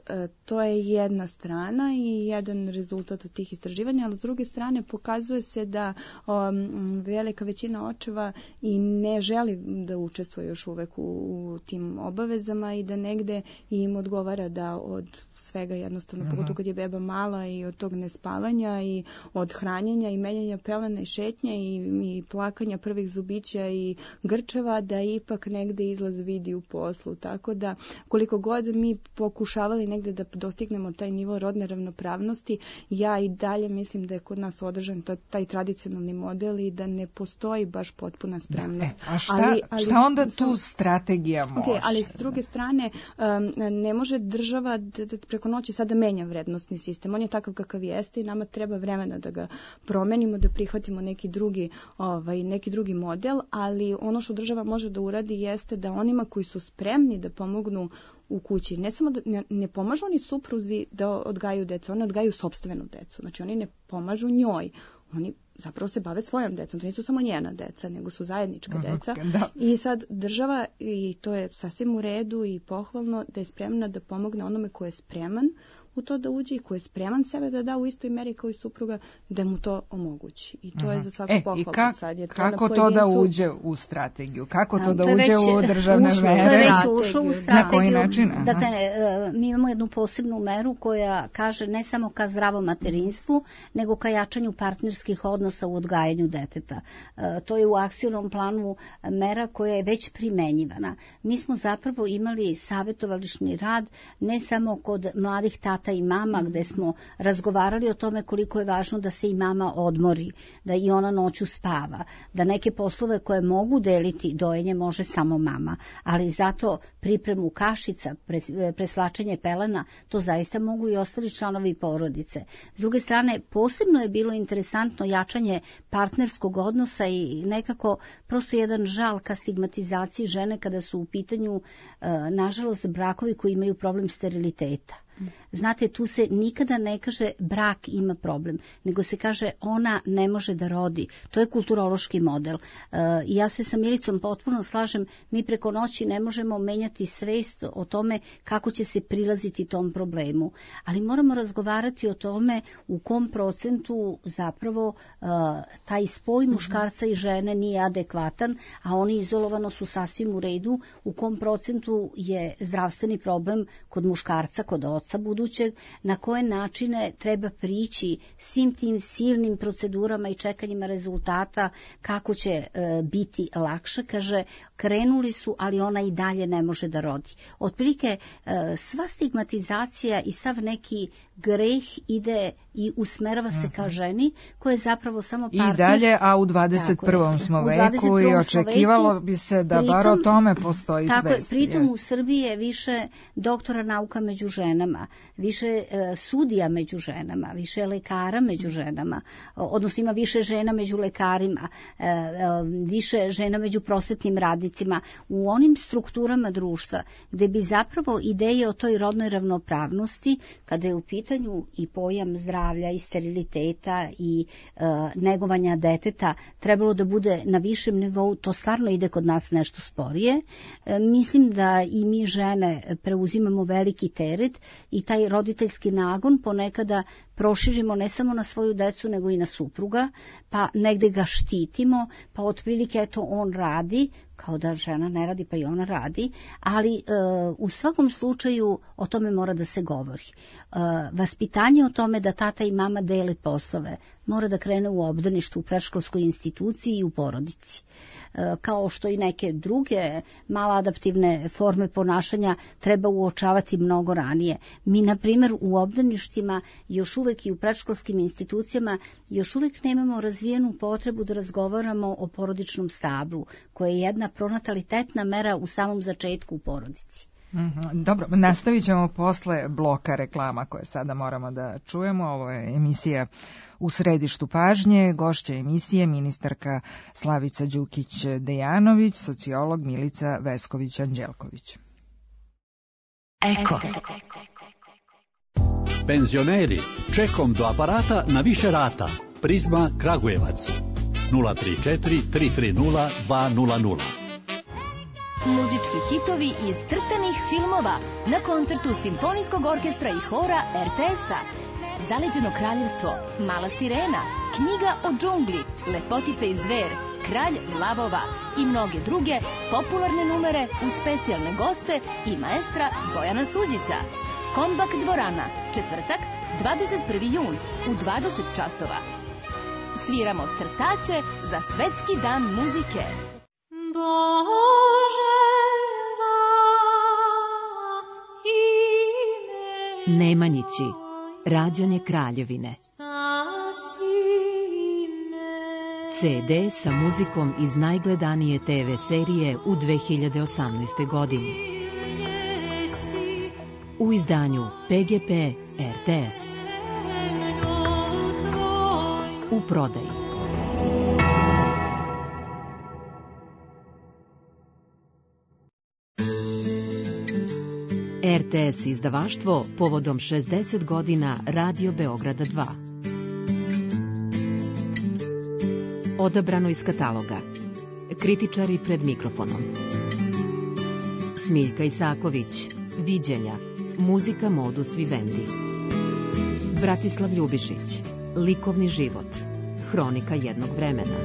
to je jedna strana i jedan rezultat od tih istraživanja, ali s druge strane pokazuje se da um, velika većina očeva i ne želi da učestvuje još uvek u, u tim obavezama i da negde im odgovara da od svega jednostavno, uh-huh. pogotovo kad je beba mala, i od tog nespavanja i od hranjenja i menjanja pelena i šetnje i, i plakanja prvih zubića i grčeva, da ipak negde izlaz vidi u poslu. Tako da koliko god mi pokušavali negde da dostignemo taj nivo rodne ravnopravnosti, ja i dalje mislim da je kod nas održan taj, taj tradicionalni model i da ne postoji baš potpuna spremnost. Da, e, a šta, ali, ali, šta onda tu sam, strategija može? Okay, ali s druge strane, um, ne može država da, da preko noći sada menja vrednostni sistem. On je takav kakav jeste i nama treba vremena da ga promenimo, da prihvatimo neki drugi, ovaj, neki drugi model, ali ono što država može da uradi jeste da onima koji su spremni da pomognu u kući, ne samo da ne, ne pomažu oni supruzi da odgajaju decu, oni odgajaju sopstvenu decu. Znači oni ne pomažu njoj, oni zapravo se bave svojom decom, to nisu samo njena deca, nego su zajednička deca. Da. I sad država, i to je sasvim u redu i pohvalno, da je spremna da pomogne onome ko je spreman u to da uđe i ko je spreman sebe da da u istoj meri kao i supruga, da mu to omogući. I to uh-huh. je za svaku e, pohvalu. I ka, sad je to kako na to da uđe u strategiju? Kako to da, to uđe već, u državne ušlo, mere? To je već ušlo u strategiju. Na koji način? Aha. Dakle, mi imamo jednu posebnu meru koja kaže ne samo ka zdravom materinstvu, nego ka jačanju partnerskih odnosa u odgajanju deteta. To je u akcionom planu mera koja je već primenjivana. Mi smo zapravo imali savjetovališni rad ne samo kod mladih tata i mama, gde smo razgovarali o tome koliko je važno da se i mama odmori, da i ona noću spava, da neke poslove koje mogu deliti dojenje može samo mama, ali zato pripremu kašica, preslačenje pelena, to zaista mogu i ostali članovi porodice. S druge strane, posebno je bilo interesantno jačanje partnerskog odnosa i nekako prosto jedan žal ka stigmatizaciji žene kada su u pitanju, nažalost, brakovi koji imaju problem steriliteta. Znate, tu se nikada ne kaže brak ima problem, nego se kaže ona ne može da rodi. To je kulturološki model. I e, ja se sa Milicom potpuno slažem, mi preko noći ne možemo menjati svest o tome kako će se prilaziti tom problemu. Ali moramo razgovarati o tome u kom procentu zapravo e, taj spoj muškarca i žene nije adekvatan, a oni izolovano su sasvim u redu, u kom procentu je zdravstveni problem kod muškarca, kod oca budućeg, na koje načine treba prići svim tim silnim procedurama i čekanjima rezultata, kako će e, biti lakše. Kaže, krenuli su, ali ona i dalje ne može da rodi. Otprilike, e, sva stigmatizacija i sav neki greh ide i usmerava se ka ženi, koja je zapravo samo partner. I dalje, a u dvadeset prvom smo veku i očekivalo veku, bi se da pritom, bar o tome postoji tako svest. Pritom jest. U Srbiji je više doktora nauka među ženama, više e, sudija među ženama, više lekara među ženama, odnosno ima više žena među lekarima, e, e, više žena među prosvetnim radnicima, u onim strukturama društva gde bi zapravo ideje o toj rodnoj ravnopravnosti, kada je u pitanju i pojam zdravlja i steriliteta i e, negovanja deteta, trebalo da bude na višem nivou, to stvarno ide kod nas nešto sporije. E, mislim da i mi žene preuzimamo veliki teret i taj roditeljski nagon ponekada proširimo ne samo na svoju decu, nego i na supruga, pa negde ga štitimo, pa otprilike eto on radi, kao da žena ne radi, pa i ona radi, ali e, u svakom slučaju o tome mora da se govori. E, vaspitanje o tome da tata i mama dele poslove mora da krene u obdaništu, u predškolskoj instituciji i u porodici. E, kao što i neke druge maladaptivne forme ponašanja treba uočavati mnogo ranije. Mi, na primjer, u obdaništima još uvek i u predškolskim institucijama još uvek nemamo razvijenu potrebu da razgovaramo o porodičnom stablu, koja je jedna pronatalitetna mera u samom začetku u porodici. Mm-hmm. Dobro, nastavit ćemo posle bloka reklama koje sada moramo da čujemo. Ovo je emisija U središtu pažnje. Gošća emisije ministarka Slavica Đukić-Dejanović, sociolog Milica Vesković-Anđelković. Eko. Penzioneri, čekom do aparata na više rata. Prizma Kragujevac. nula tri četiri tri tri nula dva nula nula. Muzički hitovi iz crtanih filmova na koncertu Simfonijskog orkestra i hora er te es-a. Zaleđeno kraljevstvo, Mala sirena, Knjiga o džungli, Lepotica i zver, Kralj lavova i mnoge druge popularne numere uz specijalne goste i maestra Bojana Suđića. Kombak dvorana, četvrtak, dvadeset prvi jun u dvadeset časova. Sviramo crtaće za Svetski dan muzike. Nemanjići, rađanje Kraljevine. ce de sa muzikom iz najgledanije te ve serije u dve hiljade osamnaestoj. godini. U izdanju pe ge pe er te es. U prodaji. er te es izdavaštvo povodom šezdeset godina Radio Beograda dva. Odabrano iz kataloga. Kritičari pred mikrofonom. Smiljka Isaković, Viđenja, muzika modus vivendi. Bratislav Ljubišić, Likovni život, hronika jednog vremena.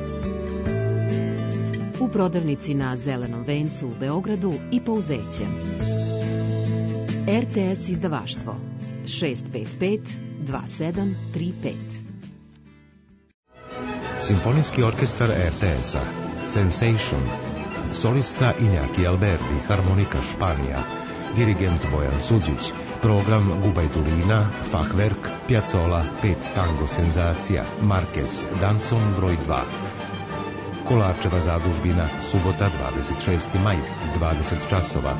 U prodavnici na Zelenom vencu u Beogradu i Pouzećem. er te es izdavaštvo šest pet pet dva sedam tri pet. Simfonijski orkestar er te es-a, Sensation, solista Iñaki Alberdi, harmonika Španija, dirigent Bojan Suđić, program Gubajdulina, Fachwerk, Piazzolla, pet tango senzacija, Marquez, Danson broj dva. Kolarčeva zadužbina, subota dvadeset šesti maj, dvadeset časova.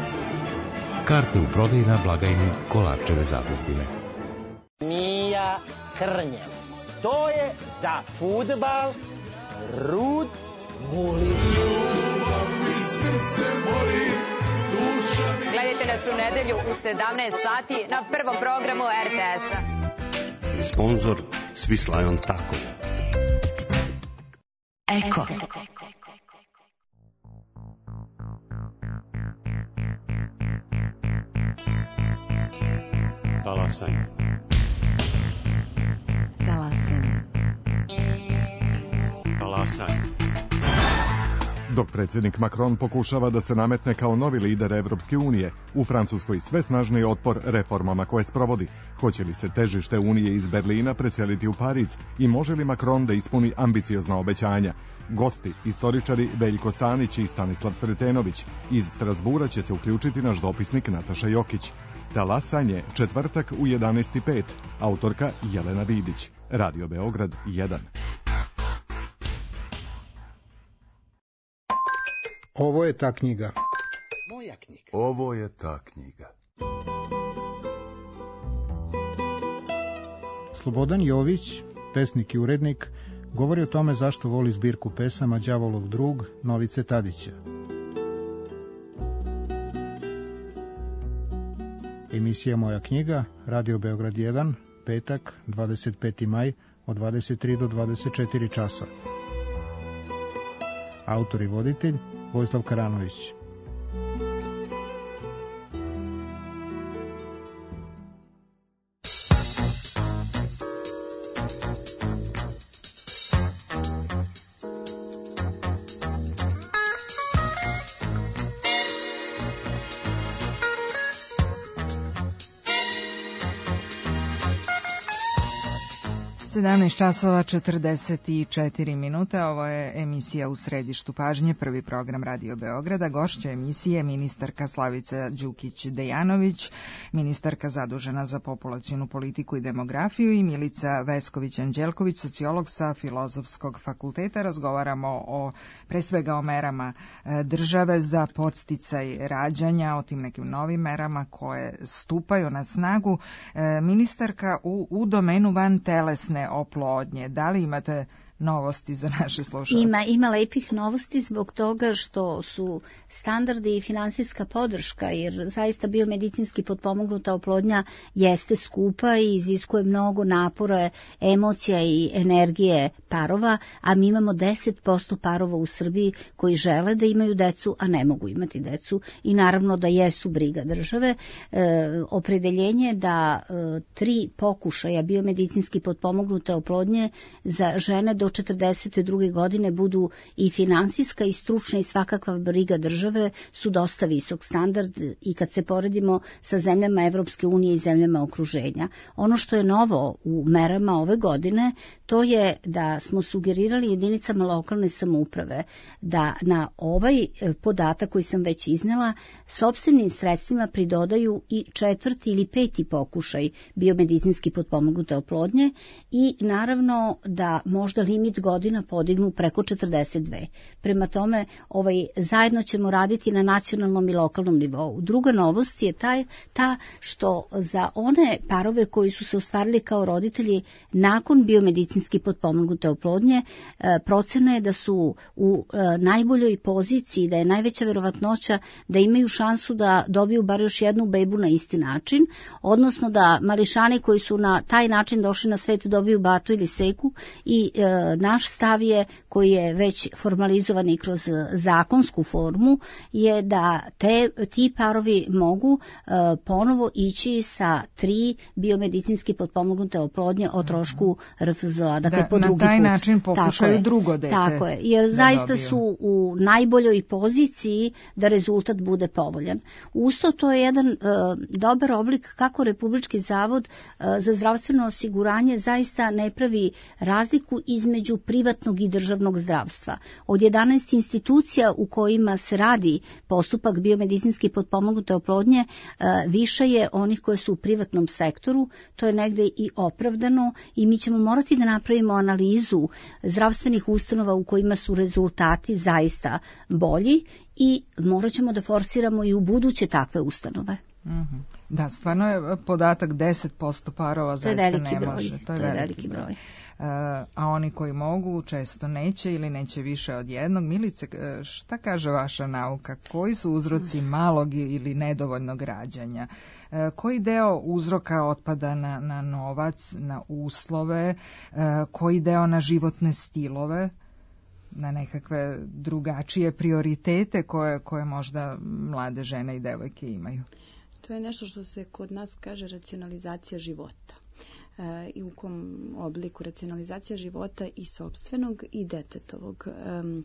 Karte u prodaji na blagajni Kolarčeve zadužbine. Mija Krnjevac. To je za fudbal Rud Gulin. Gledajte nas u nedelju u sedamnaest sati na prvom programu er te es-a. Sponzor Swiss Lion Taco. Eko. Talasaj. Talasaj. Talasaj. Dok predsjednik Macron pokušava da se nametne kao novi lider Evropske unije, u Francuskoj sve snažniji otpor reformama koje sprovodi. Hoće li se težište Unije iz Berlina preseliti u Pariz i može li Macron da ispuni ambiciozna obećanja? Gosti, istoričari Veljko Stanić i Stanislav Sretenović. Iz Strasbura će se uključiti naš dopisnik Nataša Jokić. Talasanje, četvrtak u jedanaest i pet. Autorka Jelena Vidić. Radio Beograd jedan. Ovo je ta knjiga. Moja knjiga. Ovo je ta knjiga. Slobodan Jović, pesnik i urednik, govori o tome zašto voli zbirku pesama Đavolov drug Novice Tadića. Emisija Moja knjiga, Radio Beograd jedan, petak, dvadeset peti maj, od dvadeset tri do dvadeset četiri časa. Autor i voditelj Vojislav Karanović. sedamnaest časova četrdeset četiri minute, ovo je emisija U središtu pažnje, prvi program Radio Beograda. Gošća emisije ministarka Slavica Đukić-Dejanović, ministarka zadužena za populacionu politiku i demografiju, i Milica Vesković-Anđelković, sociolog sa Filozofskog fakulteta. Razgovaramo o, pre svega o merama države za podsticaj rađanja, o tim nekim novim merama koje stupaju na snagu. Ministarka, u, u domenu van telesne oplodnje, da li imate novosti za naše slušalce? Ima, ima lepih novosti zbog toga što su standardi i finansijska podrška, jer zaista biomedicinski potpomognuta oplodnja jeste skupa i iziskuje mnogo napora, emocija i energije parova, a mi imamo deset posto parova u Srbiji koji žele da imaju decu, a ne mogu imati decu, i naravno da jesu briga države. E, opredeljenje da e, tri pokušaja biomedicinski potpomognute oplodnje za žene do četrdeset druge godine budu i finansijska i stručna i svakakva briga države su dosta visok standard i kad se poredimo sa zemljama Evropske unije i zemljama okruženja. Ono što je novo u merama ove godine, to je da smo sugerirali jedinicama lokalne samouprave da na ovaj podatak koji sam već iznela sopstvenim sredstvima pridodaju i četvrti ili peti pokušaj biomedicinski potpomognute oplodnje i naravno da možda limit godina podignu preko četrdeset dve. Prema tome, ovaj, zajedno ćemo raditi na nacionalnom i lokalnom nivou. Druga novost je taj, ta što za one parove koji su se ostvarili kao roditelji nakon biomedicinski potpomognute oplodnje, e, procena je da su u e, najboljoj poziciji, da je najveća verovatnoća da imaju šansu da dobiju bar još jednu bebu na isti način, odnosno da mališani koji su na taj način došli na svet dobiju batu ili seku i e, naš stav je, koji je već formalizovan i kroz zakonsku formu, je da te, ti parovi mogu uh, ponovo ići sa tri biomedicinski potpomognute oplodnje o trošku R F Z O-a. Dakle, da, po drugi put. Na taj način pokušaju drugo dete. Tako je, jer zaista dobiju. Su u najboljoj poziciji da rezultat bude povoljan. Usto to je jedan uh, dobar oblik kako Republički zavod uh, za zdravstveno osiguranje zaista ne pravi razliku između privatnog i državnog zdravstva. Od jedanaest institucija u kojima se radi postupak biomedicinski potpomognute oplodnje, više je onih koje su u privatnom sektoru, to je negde i opravdano i mi ćemo morati da napravimo analizu zdravstvenih ustanova u kojima su rezultati zaista bolji i morat ćemo da forsiramo i u buduće takve ustanove. Mm-hmm. Da, stvarno je podatak deset posto parova zaista ne broj. može. To je veliki, veliki broj. broj. A oni koji mogu često neće ili neće više od jednog. Milice, šta kaže vaša nauka? Koji su uzroci malog ili nedovoljnog rađanja? Koji deo uzroka otpada na, na novac, na uslove, koji deo na životne stilove, na nekakve drugačije prioritete koje, koje možda mlade žene i devojke imaju? To je nešto što se kod nas kaže racionalizacija života. E, i u kom obliku racionalizacija života i sopstvenog i detetovog. E,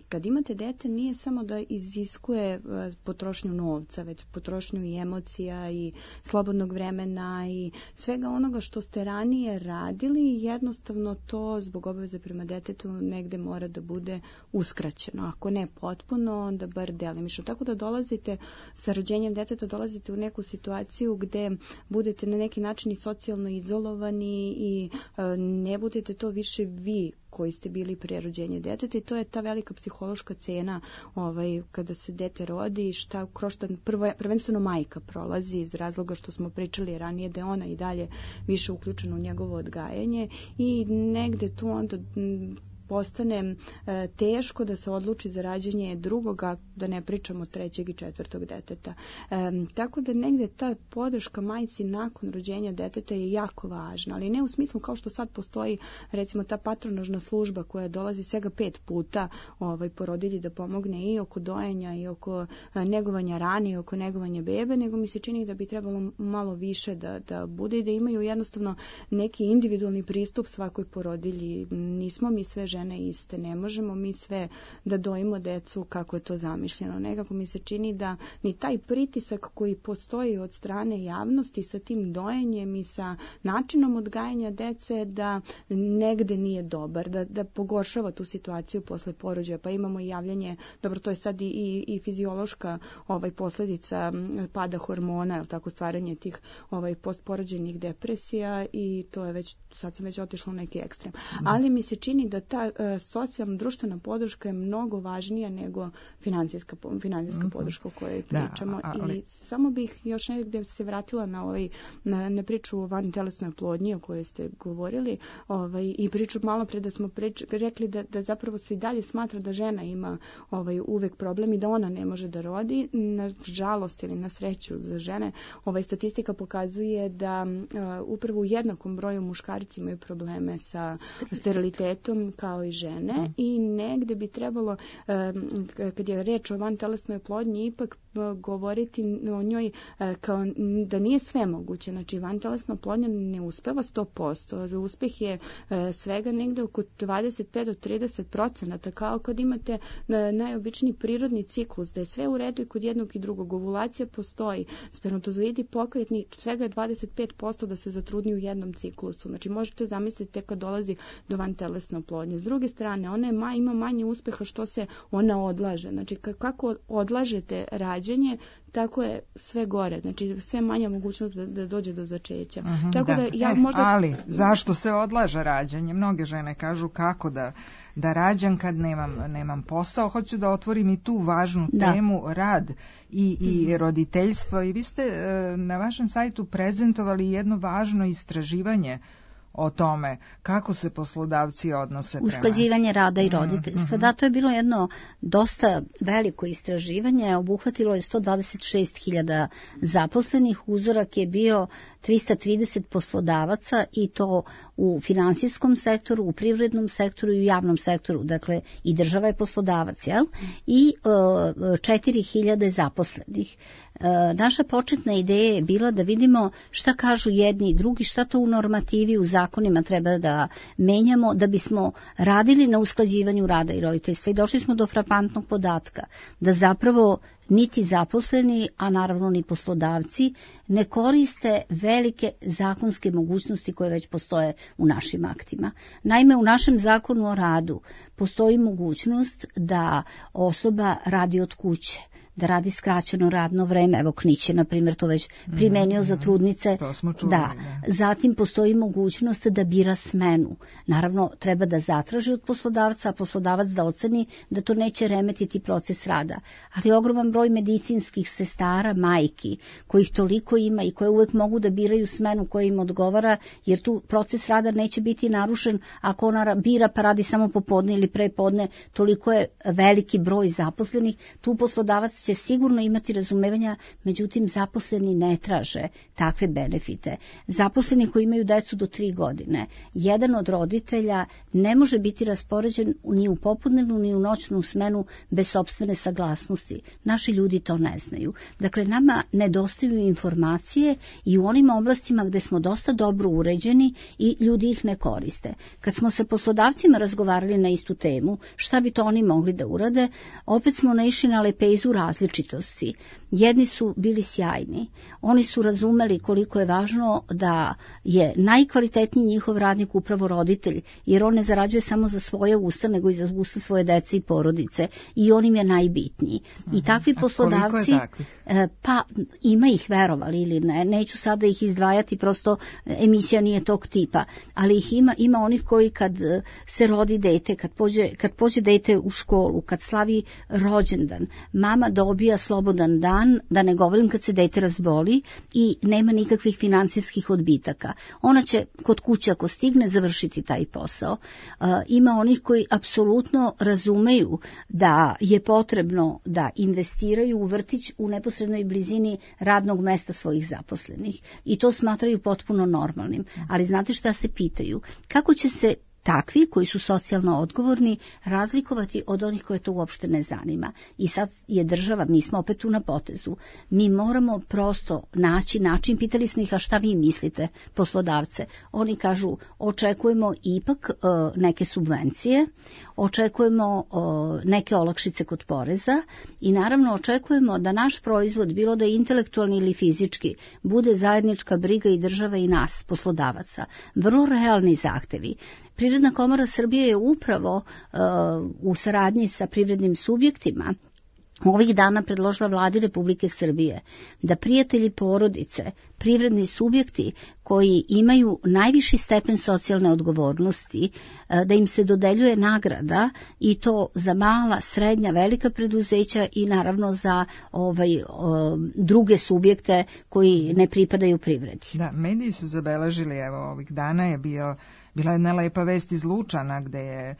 kad imate dete, nije samo da iziskuje e, potrošnju novca, već potrošnju i emocija i slobodnog vremena i svega onoga što ste ranije radili, jednostavno to zbog obaveze prema detetu negde mora da bude uskraćeno. Ako ne potpuno, onda bar delimično. Tako da dolazite sa rođenjem deteta, dolazite u neku situaciju gde budete na neki način i socijalno izolovani i e, ne budete to više vi koji ste bili pre rođenja deteta i to je ta velika psihološka cena ovaj, kada se dete rodi, šta kroz šta prvo, prvenstveno majka prolazi iz razloga što smo pričali ranije da je ona i dalje više uključena u njegovo odgajanje i negde tu onda m, postane e, teško da se odluči za rađanje drugoga, da ne pričamo trećeg i četvrtog deteta. E, tako da negde ta podrška majci nakon rođenja deteta je jako važna, ali ne u smislu kao što sad postoji recimo ta patronažna služba koja dolazi svega pet puta ovaj, porodilji da pomogne i oko dojenja i oko a, negovanja rane i oko negovanja bebe, nego mi se čini da bi trebalo malo više da, da bude i da imaju jednostavno neki individualni pristup svakoj porodilji. Nismo mi sve žene žene iste. Ne možemo mi sve da dojimo decu kako je to zamišljeno. Nekako mi se čini da ni taj pritisak koji postoji od strane javnosti sa tim dojenjem i sa načinom odgajanja dece da negde nije dobar, da, da pogoršava tu situaciju posle porođaja. Pa imamo i javljanje, dobro, to je sad i, i, i fiziološka ovaj, posledica pada hormona, tako stvaranje tih ovaj, postporođajnih depresija i to je već, sad sam već otišla u neki ekstrem. Mm. Ali mi se čini da ta uh, socijalna društvena podrška je mnogo važnija nego financijska, financijska mm-hmm. podrška o kojoj pričamo. Da, ali... I samo bih još negdje se vratila na, ovaj, na, na priču o vantelesnoj oplodnji o kojoj ste govorili ovaj, i priču malo pre da smo prič, rekli da, da zapravo se i dalje smatra da žena ima ovaj, uvek problem i da ona ne može da rodi. Na žalost ili na sreću za žene, ovaj, statistika pokazuje da uh, upravo u jednakom broju muškarci imaju probleme sa sterilitetom kao i žene mm. i negde bi trebalo, um, kad je reč o vantelesnoj oplodnji, ipak uh, govoriti o njoj uh, kao da nije sve moguće. Znači, vantelesna oplodnja ne uspeva sto posto. Uspeh je uh, svega negde oko dvadeset pet do trideset procenata, kao kad imate uh, najobičniji prirodni ciklus, da je sve u redu i kod jednog i drugog. Ovulacija postoji. Spermatozoidi pokretni, svega je dvadeset pet posto da se zatrudni u jednom ciklusu. Znači, možete zamisliti tek kad dolazi do vantelesne oplodnje. S druge strane, ona je ma, ima manje uspeha što se ona odlaže. Znači, kako odlažete rađanje, tako je sve gore. Znači, sve manja mogućnost da, da dođe do začeća. Mm-hmm, tako da. da ja eh, možda... Ali, zašto se odlaže rađanje? Mnoge žene kažu kako da, da rađam kad nemam, nemam posao. Hoću da otvorim i tu važnu da. temu, rad i, i mm-hmm. roditeljstvo. I vi ste e, na vašem sajtu prezentovali jedno važno istraživanje o tome kako se poslodavci odnose prema... Usklađivanje rada i roditeljstva. Mm-hmm. Da, to je bilo jedno dosta veliko istraživanje, obuhvatilo je sto dvadeset šest hiljada zaposlenih, uzorak je bio trista trideset poslodavaca i to u finansijskom sektoru, u privrednom sektoru i u javnom sektoru, dakle i država je poslodavac, jel? I četiri hiljade zaposlenih. E, naša početna ideja je bila da vidimo šta kažu jedni i drugi, šta to u normativi, u zakonima treba da menjamo da bismo radili na usklađivanju rada i roditeljstva. I došli smo do frapantnog podatka da zapravo niti zaposleni, a naravno ni poslodavci, ne koriste velike zakonske mogućnosti koje već postoje u našim aktima. Naime, u našem zakonu o radu postoji mogućnost da osoba radi od kuće, da radi skraćeno radno vreme. Evo, Knić je, na primjer, to već primenio mm, za trudnice. To smo čuli, da. da. Zatim postoji mogućnost da bira smenu. Naravno, treba da zatraži od poslodavca, a poslodavac da oceni da to neće remetiti proces rada. Ali ogroman broj medicinskih sestara, majki, kojih toliko ima i koje uvek mogu da biraju smenu koja im odgovara, jer tu proces rada neće biti narušen ako ona bira pa radi samo popodne ili prepodne, toliko je veliki broj zaposlenih. Tu poslodavac će sigurno imati razumevanja, međutim zaposleni ne traže takve benefite. Zaposleni koji imaju decu do tri godine, jedan od roditelja ne može biti raspoređen ni u popodnevnu ni u noćnu smenu bez sopstvene saglasnosti. Naši ljudi to ne znaju. Dakle, nama nedostaju informacije i u onim oblastima gde smo dosta dobro uređeni i ljudi ih ne koriste. Kad smo sa poslodavcima razgovarali na istu temu, šta bi to oni mogli da urade, opet smo naišli na lepezu različitosti. Jedni su bili sjajni. Oni su razumeli koliko je važno da je najkvalitetniji njihov radnik upravo roditelj, jer on ne zarađuje samo za svoje usta, nego i za usta svoje dece i porodice. I on im je najbitniji. Uh-huh. I takvi poslodavci, pa ima ih, verovali ili ne, neću sada ih izdvajati, prosto emisija nije tog tipa, ali ih ima, ima onih koji kad se rodi dete, kad pođe, kad pođe dete u školu, kad slavi rođendan, mama dobija slobodan dan, da ne govorim kad se dete razboli i nema nikakvih finansijskih odbitaka. Ona će kod kuće ako stigne završiti taj posao. Uh, ima onih koji apsolutno razumeju da je potrebno da investiraju u vrtić u neposrednoj blizini radnog mesta svojih zaposlenih i to smatraju potpuno normalnim. Ali znate šta se pitaju? Kako će se takvi koji su socijalno odgovorni razlikovati od onih koje to uopšte ne zanima. I sad je država, mi smo opet tu na potezu, mi moramo prosto naći način, pitali smo ih a šta vi mislite poslodavce, oni kažu očekujemo ipak uh, neke subvencije, očekujemo uh, neke olakšice kod poreza i naravno očekujemo da naš proizvod, bilo da je intelektualni ili fizički, bude zajednička briga i države i nas, poslodavaca. Vrlo realni zahtevi. Privredna komora Srbije je upravo uh, u saradnji sa privrednim subjektima ovih dana predložila Vladi Republike Srbije da prijatelji porodice, privredni subjekti koji imaju najviši stepen socijalne odgovornosti, da im se dodeljuje nagrada i to za mala, srednja, velika preduzeća i naravno za ovaj, druge subjekte koji ne pripadaju privredi. Da, mediji su zabeležili, evo ovih dana je bio Bila je jedna lepa vest iz Lučana gde je e,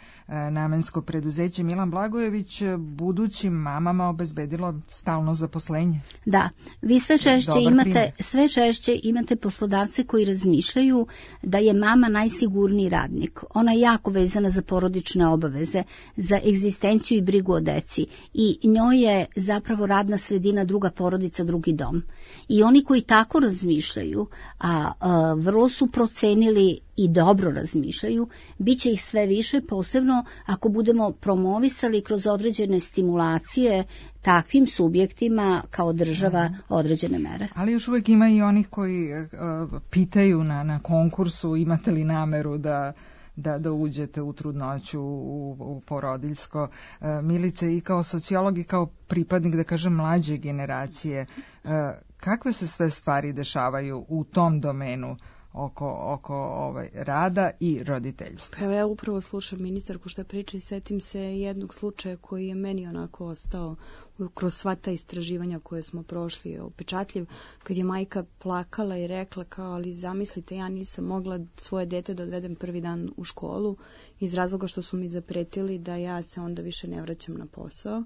namensko preduzeće Milan Blagojević budućim mamama obezbedilo stalno zaposlenje. Da, vi sve češće Dobar imate primjer. sve češće imate poslodavce koji razmišljaju da je mama najsigurniji radnik. Ona je jako vezana za porodične obaveze, za egzistenciju i brigu o deci i njoj je zapravo radna sredina druga porodica, drugi dom. I oni koji tako razmišljaju, a, a vrlo su procenili i dobro razmišljaju, bit će ih sve više, posebno ako budemo promovisali kroz određene stimulacije takvim subjektima kao država određene mere. Ali još uvijek ima i onih koji uh, pitaju na, na konkursu imate li nameru da Da, da uđete u trudnoću, u, u porodiljsko. E, Milice, i kao sociolog i kao pripadnik, da kažem, mlađe generacije, e, kakve se sve stvari dešavaju u tom domenu oko, oko ovaj, rada i roditeljstva? Pa ja upravo slušam ministarku što priča i setim se jednog slučaja koji je meni onako ostao kroz sva ta istraživanja koje smo prošli upečatljiv, kad je majka plakala i rekla kao, ali zamislite, ja nisam mogla svoje dete da odvedem prvi dan u školu iz razloga što su mi zapretili da ja se onda više ne vraćam na posao.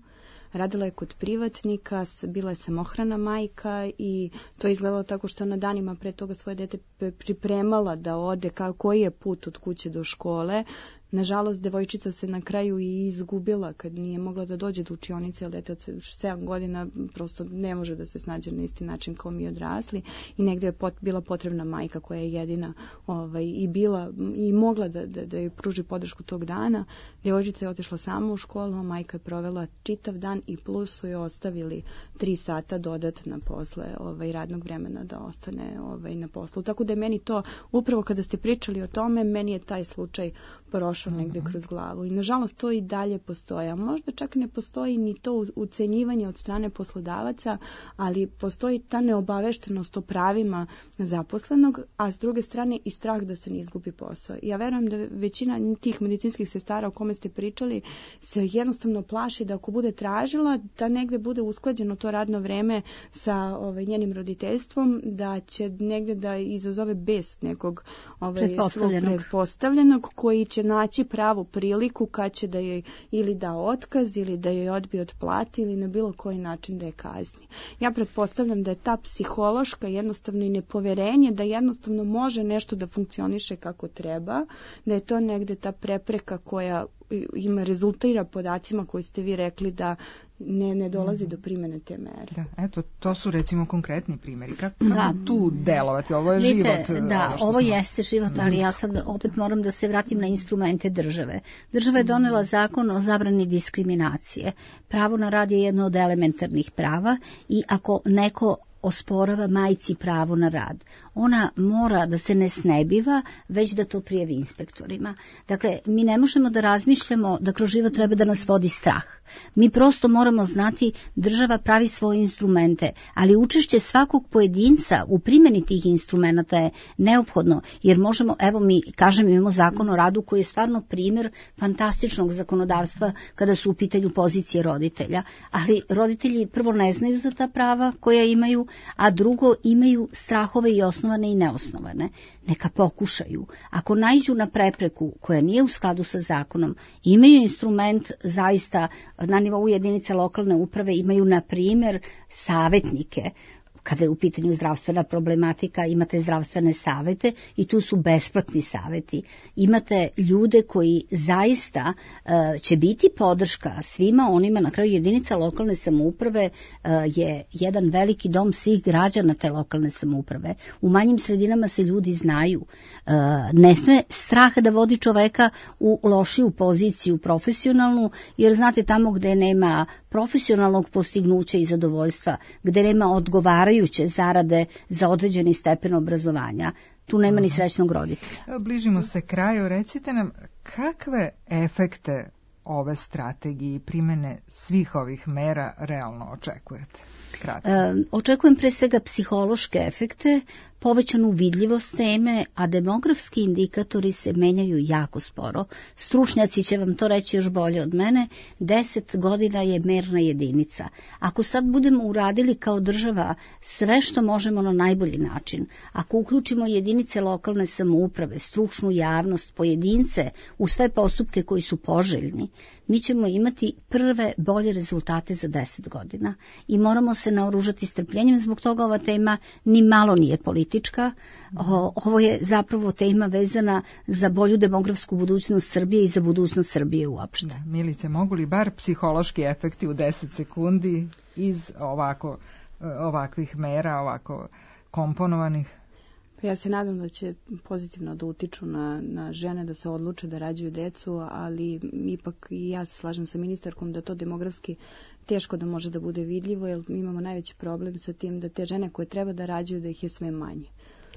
Radila je kod privatnika, bila je samohrana majka i to je izgledalo tako što ona danima pre toga svoje dete pripremala da ode, kao koji je put od kuće do škole. Nažalost, devojčica se na kraju i izgubila kad nije mogla da dođe do učionice, jer dete od sedam godina prosto ne može da se snađe na isti način kao mi odrasli i negde je pot, bila potrebna majka koja je jedina ovaj, i bila i mogla da, da, da joj pruži podršku tog dana. Devojčica je otišla sama u školu, a majka je provela čitav dan i plus su joj ostavili tri sata dodatna posle ovaj, radnog vremena da ostane ovaj, na poslu. Tako da je meni to, upravo kada ste pričali o tome, meni je taj slučaj prošao negde kroz glavu. I nažalost to i dalje postoji. A možda čak ne postoji ni to ucenjivanje od strane poslodavaca, ali postoji ta neobaveštenost o pravima zaposlenog, a s druge strane i strah da se ne izgubi posao. Ja verujem da većina tih medicinskih sestara o kome ste pričali se jednostavno plaši da ako bude tražila, da negde bude usklađeno to radno vreme sa ovaj, njenim roditeljstvom, da će negde da izazove bes nekog ovaj, pretpostavljenog. pretpostavljenog koji će naći pravu priliku kad će da joj ili da otkaz ili da joj odbije od plate ili na bilo koji način da je kazni. Ja pretpostavljam da je ta psihološka jednostavno i nepoverenje da jednostavno može nešto da funkcioniše kako treba, da je to negde ta prepreka koja ima rezultira podacima koji ste vi rekli da ne, ne dolazi mm-hmm. do primjene te mere. Da, eto, to su recimo konkretni primjeri. Kako, kako da. tu delovati? Ovo je Vidite, život. Da, ovo, ovo smo... jeste život, ali ja sad opet moram da se vratim na instrumente države. Država je donela zakon o zabrani diskriminacije. Pravo na rad je jedno od elementarnih prava i ako neko osporava majci pravo na rad, ona mora da se ne snebiva, već da to prijavi inspektorima. Dakle, mi ne možemo da razmišljamo da kroz život treba da nas vodi strah. Mi prosto moramo znati država pravi svoje instrumente, ali učešće svakog pojedinca u primjeni tih instrumenta je neophodno, jer možemo, evo mi, kažem, imamo zakon o radu koji je stvarno primjer fantastičnog zakonodavstva kada su u pitanju pozicije roditelja, ali roditelji prvo ne znaju za ta prava koja imaju, a drugo imaju strahove i osnovane i neosnovane. Neka pokušaju. Ako naiđu na prepreku koja nije u skladu sa zakonom, imaju instrument zaista na nivou jedinice lokalne uprave, imaju na primjer savjetnike kada je u pitanju zdravstvena problematika, imate zdravstvene savete i tu su besplatni saveti. Imate ljude koji zaista će biti podrška svima onima, na kraju jedinica lokalne samouprave je jedan veliki dom svih građana te lokalne samouprave. U manjim sredinama se ljudi znaju. Ne sme strah da vodi čoveka u lošiju poziciju profesionalnu, jer znate tamo gde nema profesionalnog postignuća i zadovoljstva, gde nema odgovarajuće zarade za određeni stepen obrazovanja, tu nema ni srećnog roditelja. Bližimo se kraju, recite nam kakve efekte ove strategije i primene svih ovih mera realno očekujete? Kratko. E, očekujem pre svega psihološke efekte, povećanu vidljivost teme, a demografski indikatori se menjaju jako sporo. Stručnjaci će vam to reći još bolje od mene. Deset godina je merna jedinica. Ako sad budemo uradili kao država sve što možemo na najbolji način, ako uključimo jedinice lokalne samouprave, stručnu javnost, pojedince u sve postupke koji su poželjni, mi ćemo imati prve bolje rezultate za deset godina i moramo se naoružati strpljenjem. Zbog toga ova tema ni malo nije politička. Ovo je zapravo tema vezana za bolju demografsku budućnost Srbije i za budućnost Srbije uopšte. Da, Milice, mogu li bar psihološki efekti u deset sekundi iz ovako, ovakvih mera, ovako komponovanih? Ja se nadam da će pozitivno da utiču na, na žene da se odluče da rađaju decu, ali ipak i ja se slažem sa ministarkom da to demografski teško da može da bude vidljivo, jer mi imamo najveći problem sa tim da te žene koje treba da rađaju, da ih je sve manje.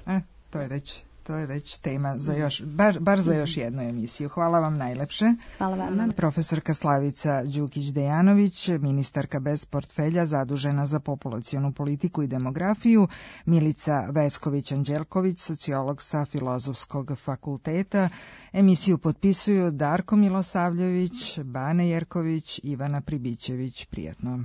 E, to je već... To je već tema za još, bar, bar za još jednu emisiju. Hvala vam najlepše. Hvala vam. Profesorka Slavica Đukić-Dejanović, ministarka bez portfelja zadužena za populacionu politiku i demografiju, Milica Vesković-Anđelković, sociolog sa Filozofskog fakulteta. Emisiju potpisuju Darko Milosavljević, Bane Jerković, Ivana Pribićević. Prijatno.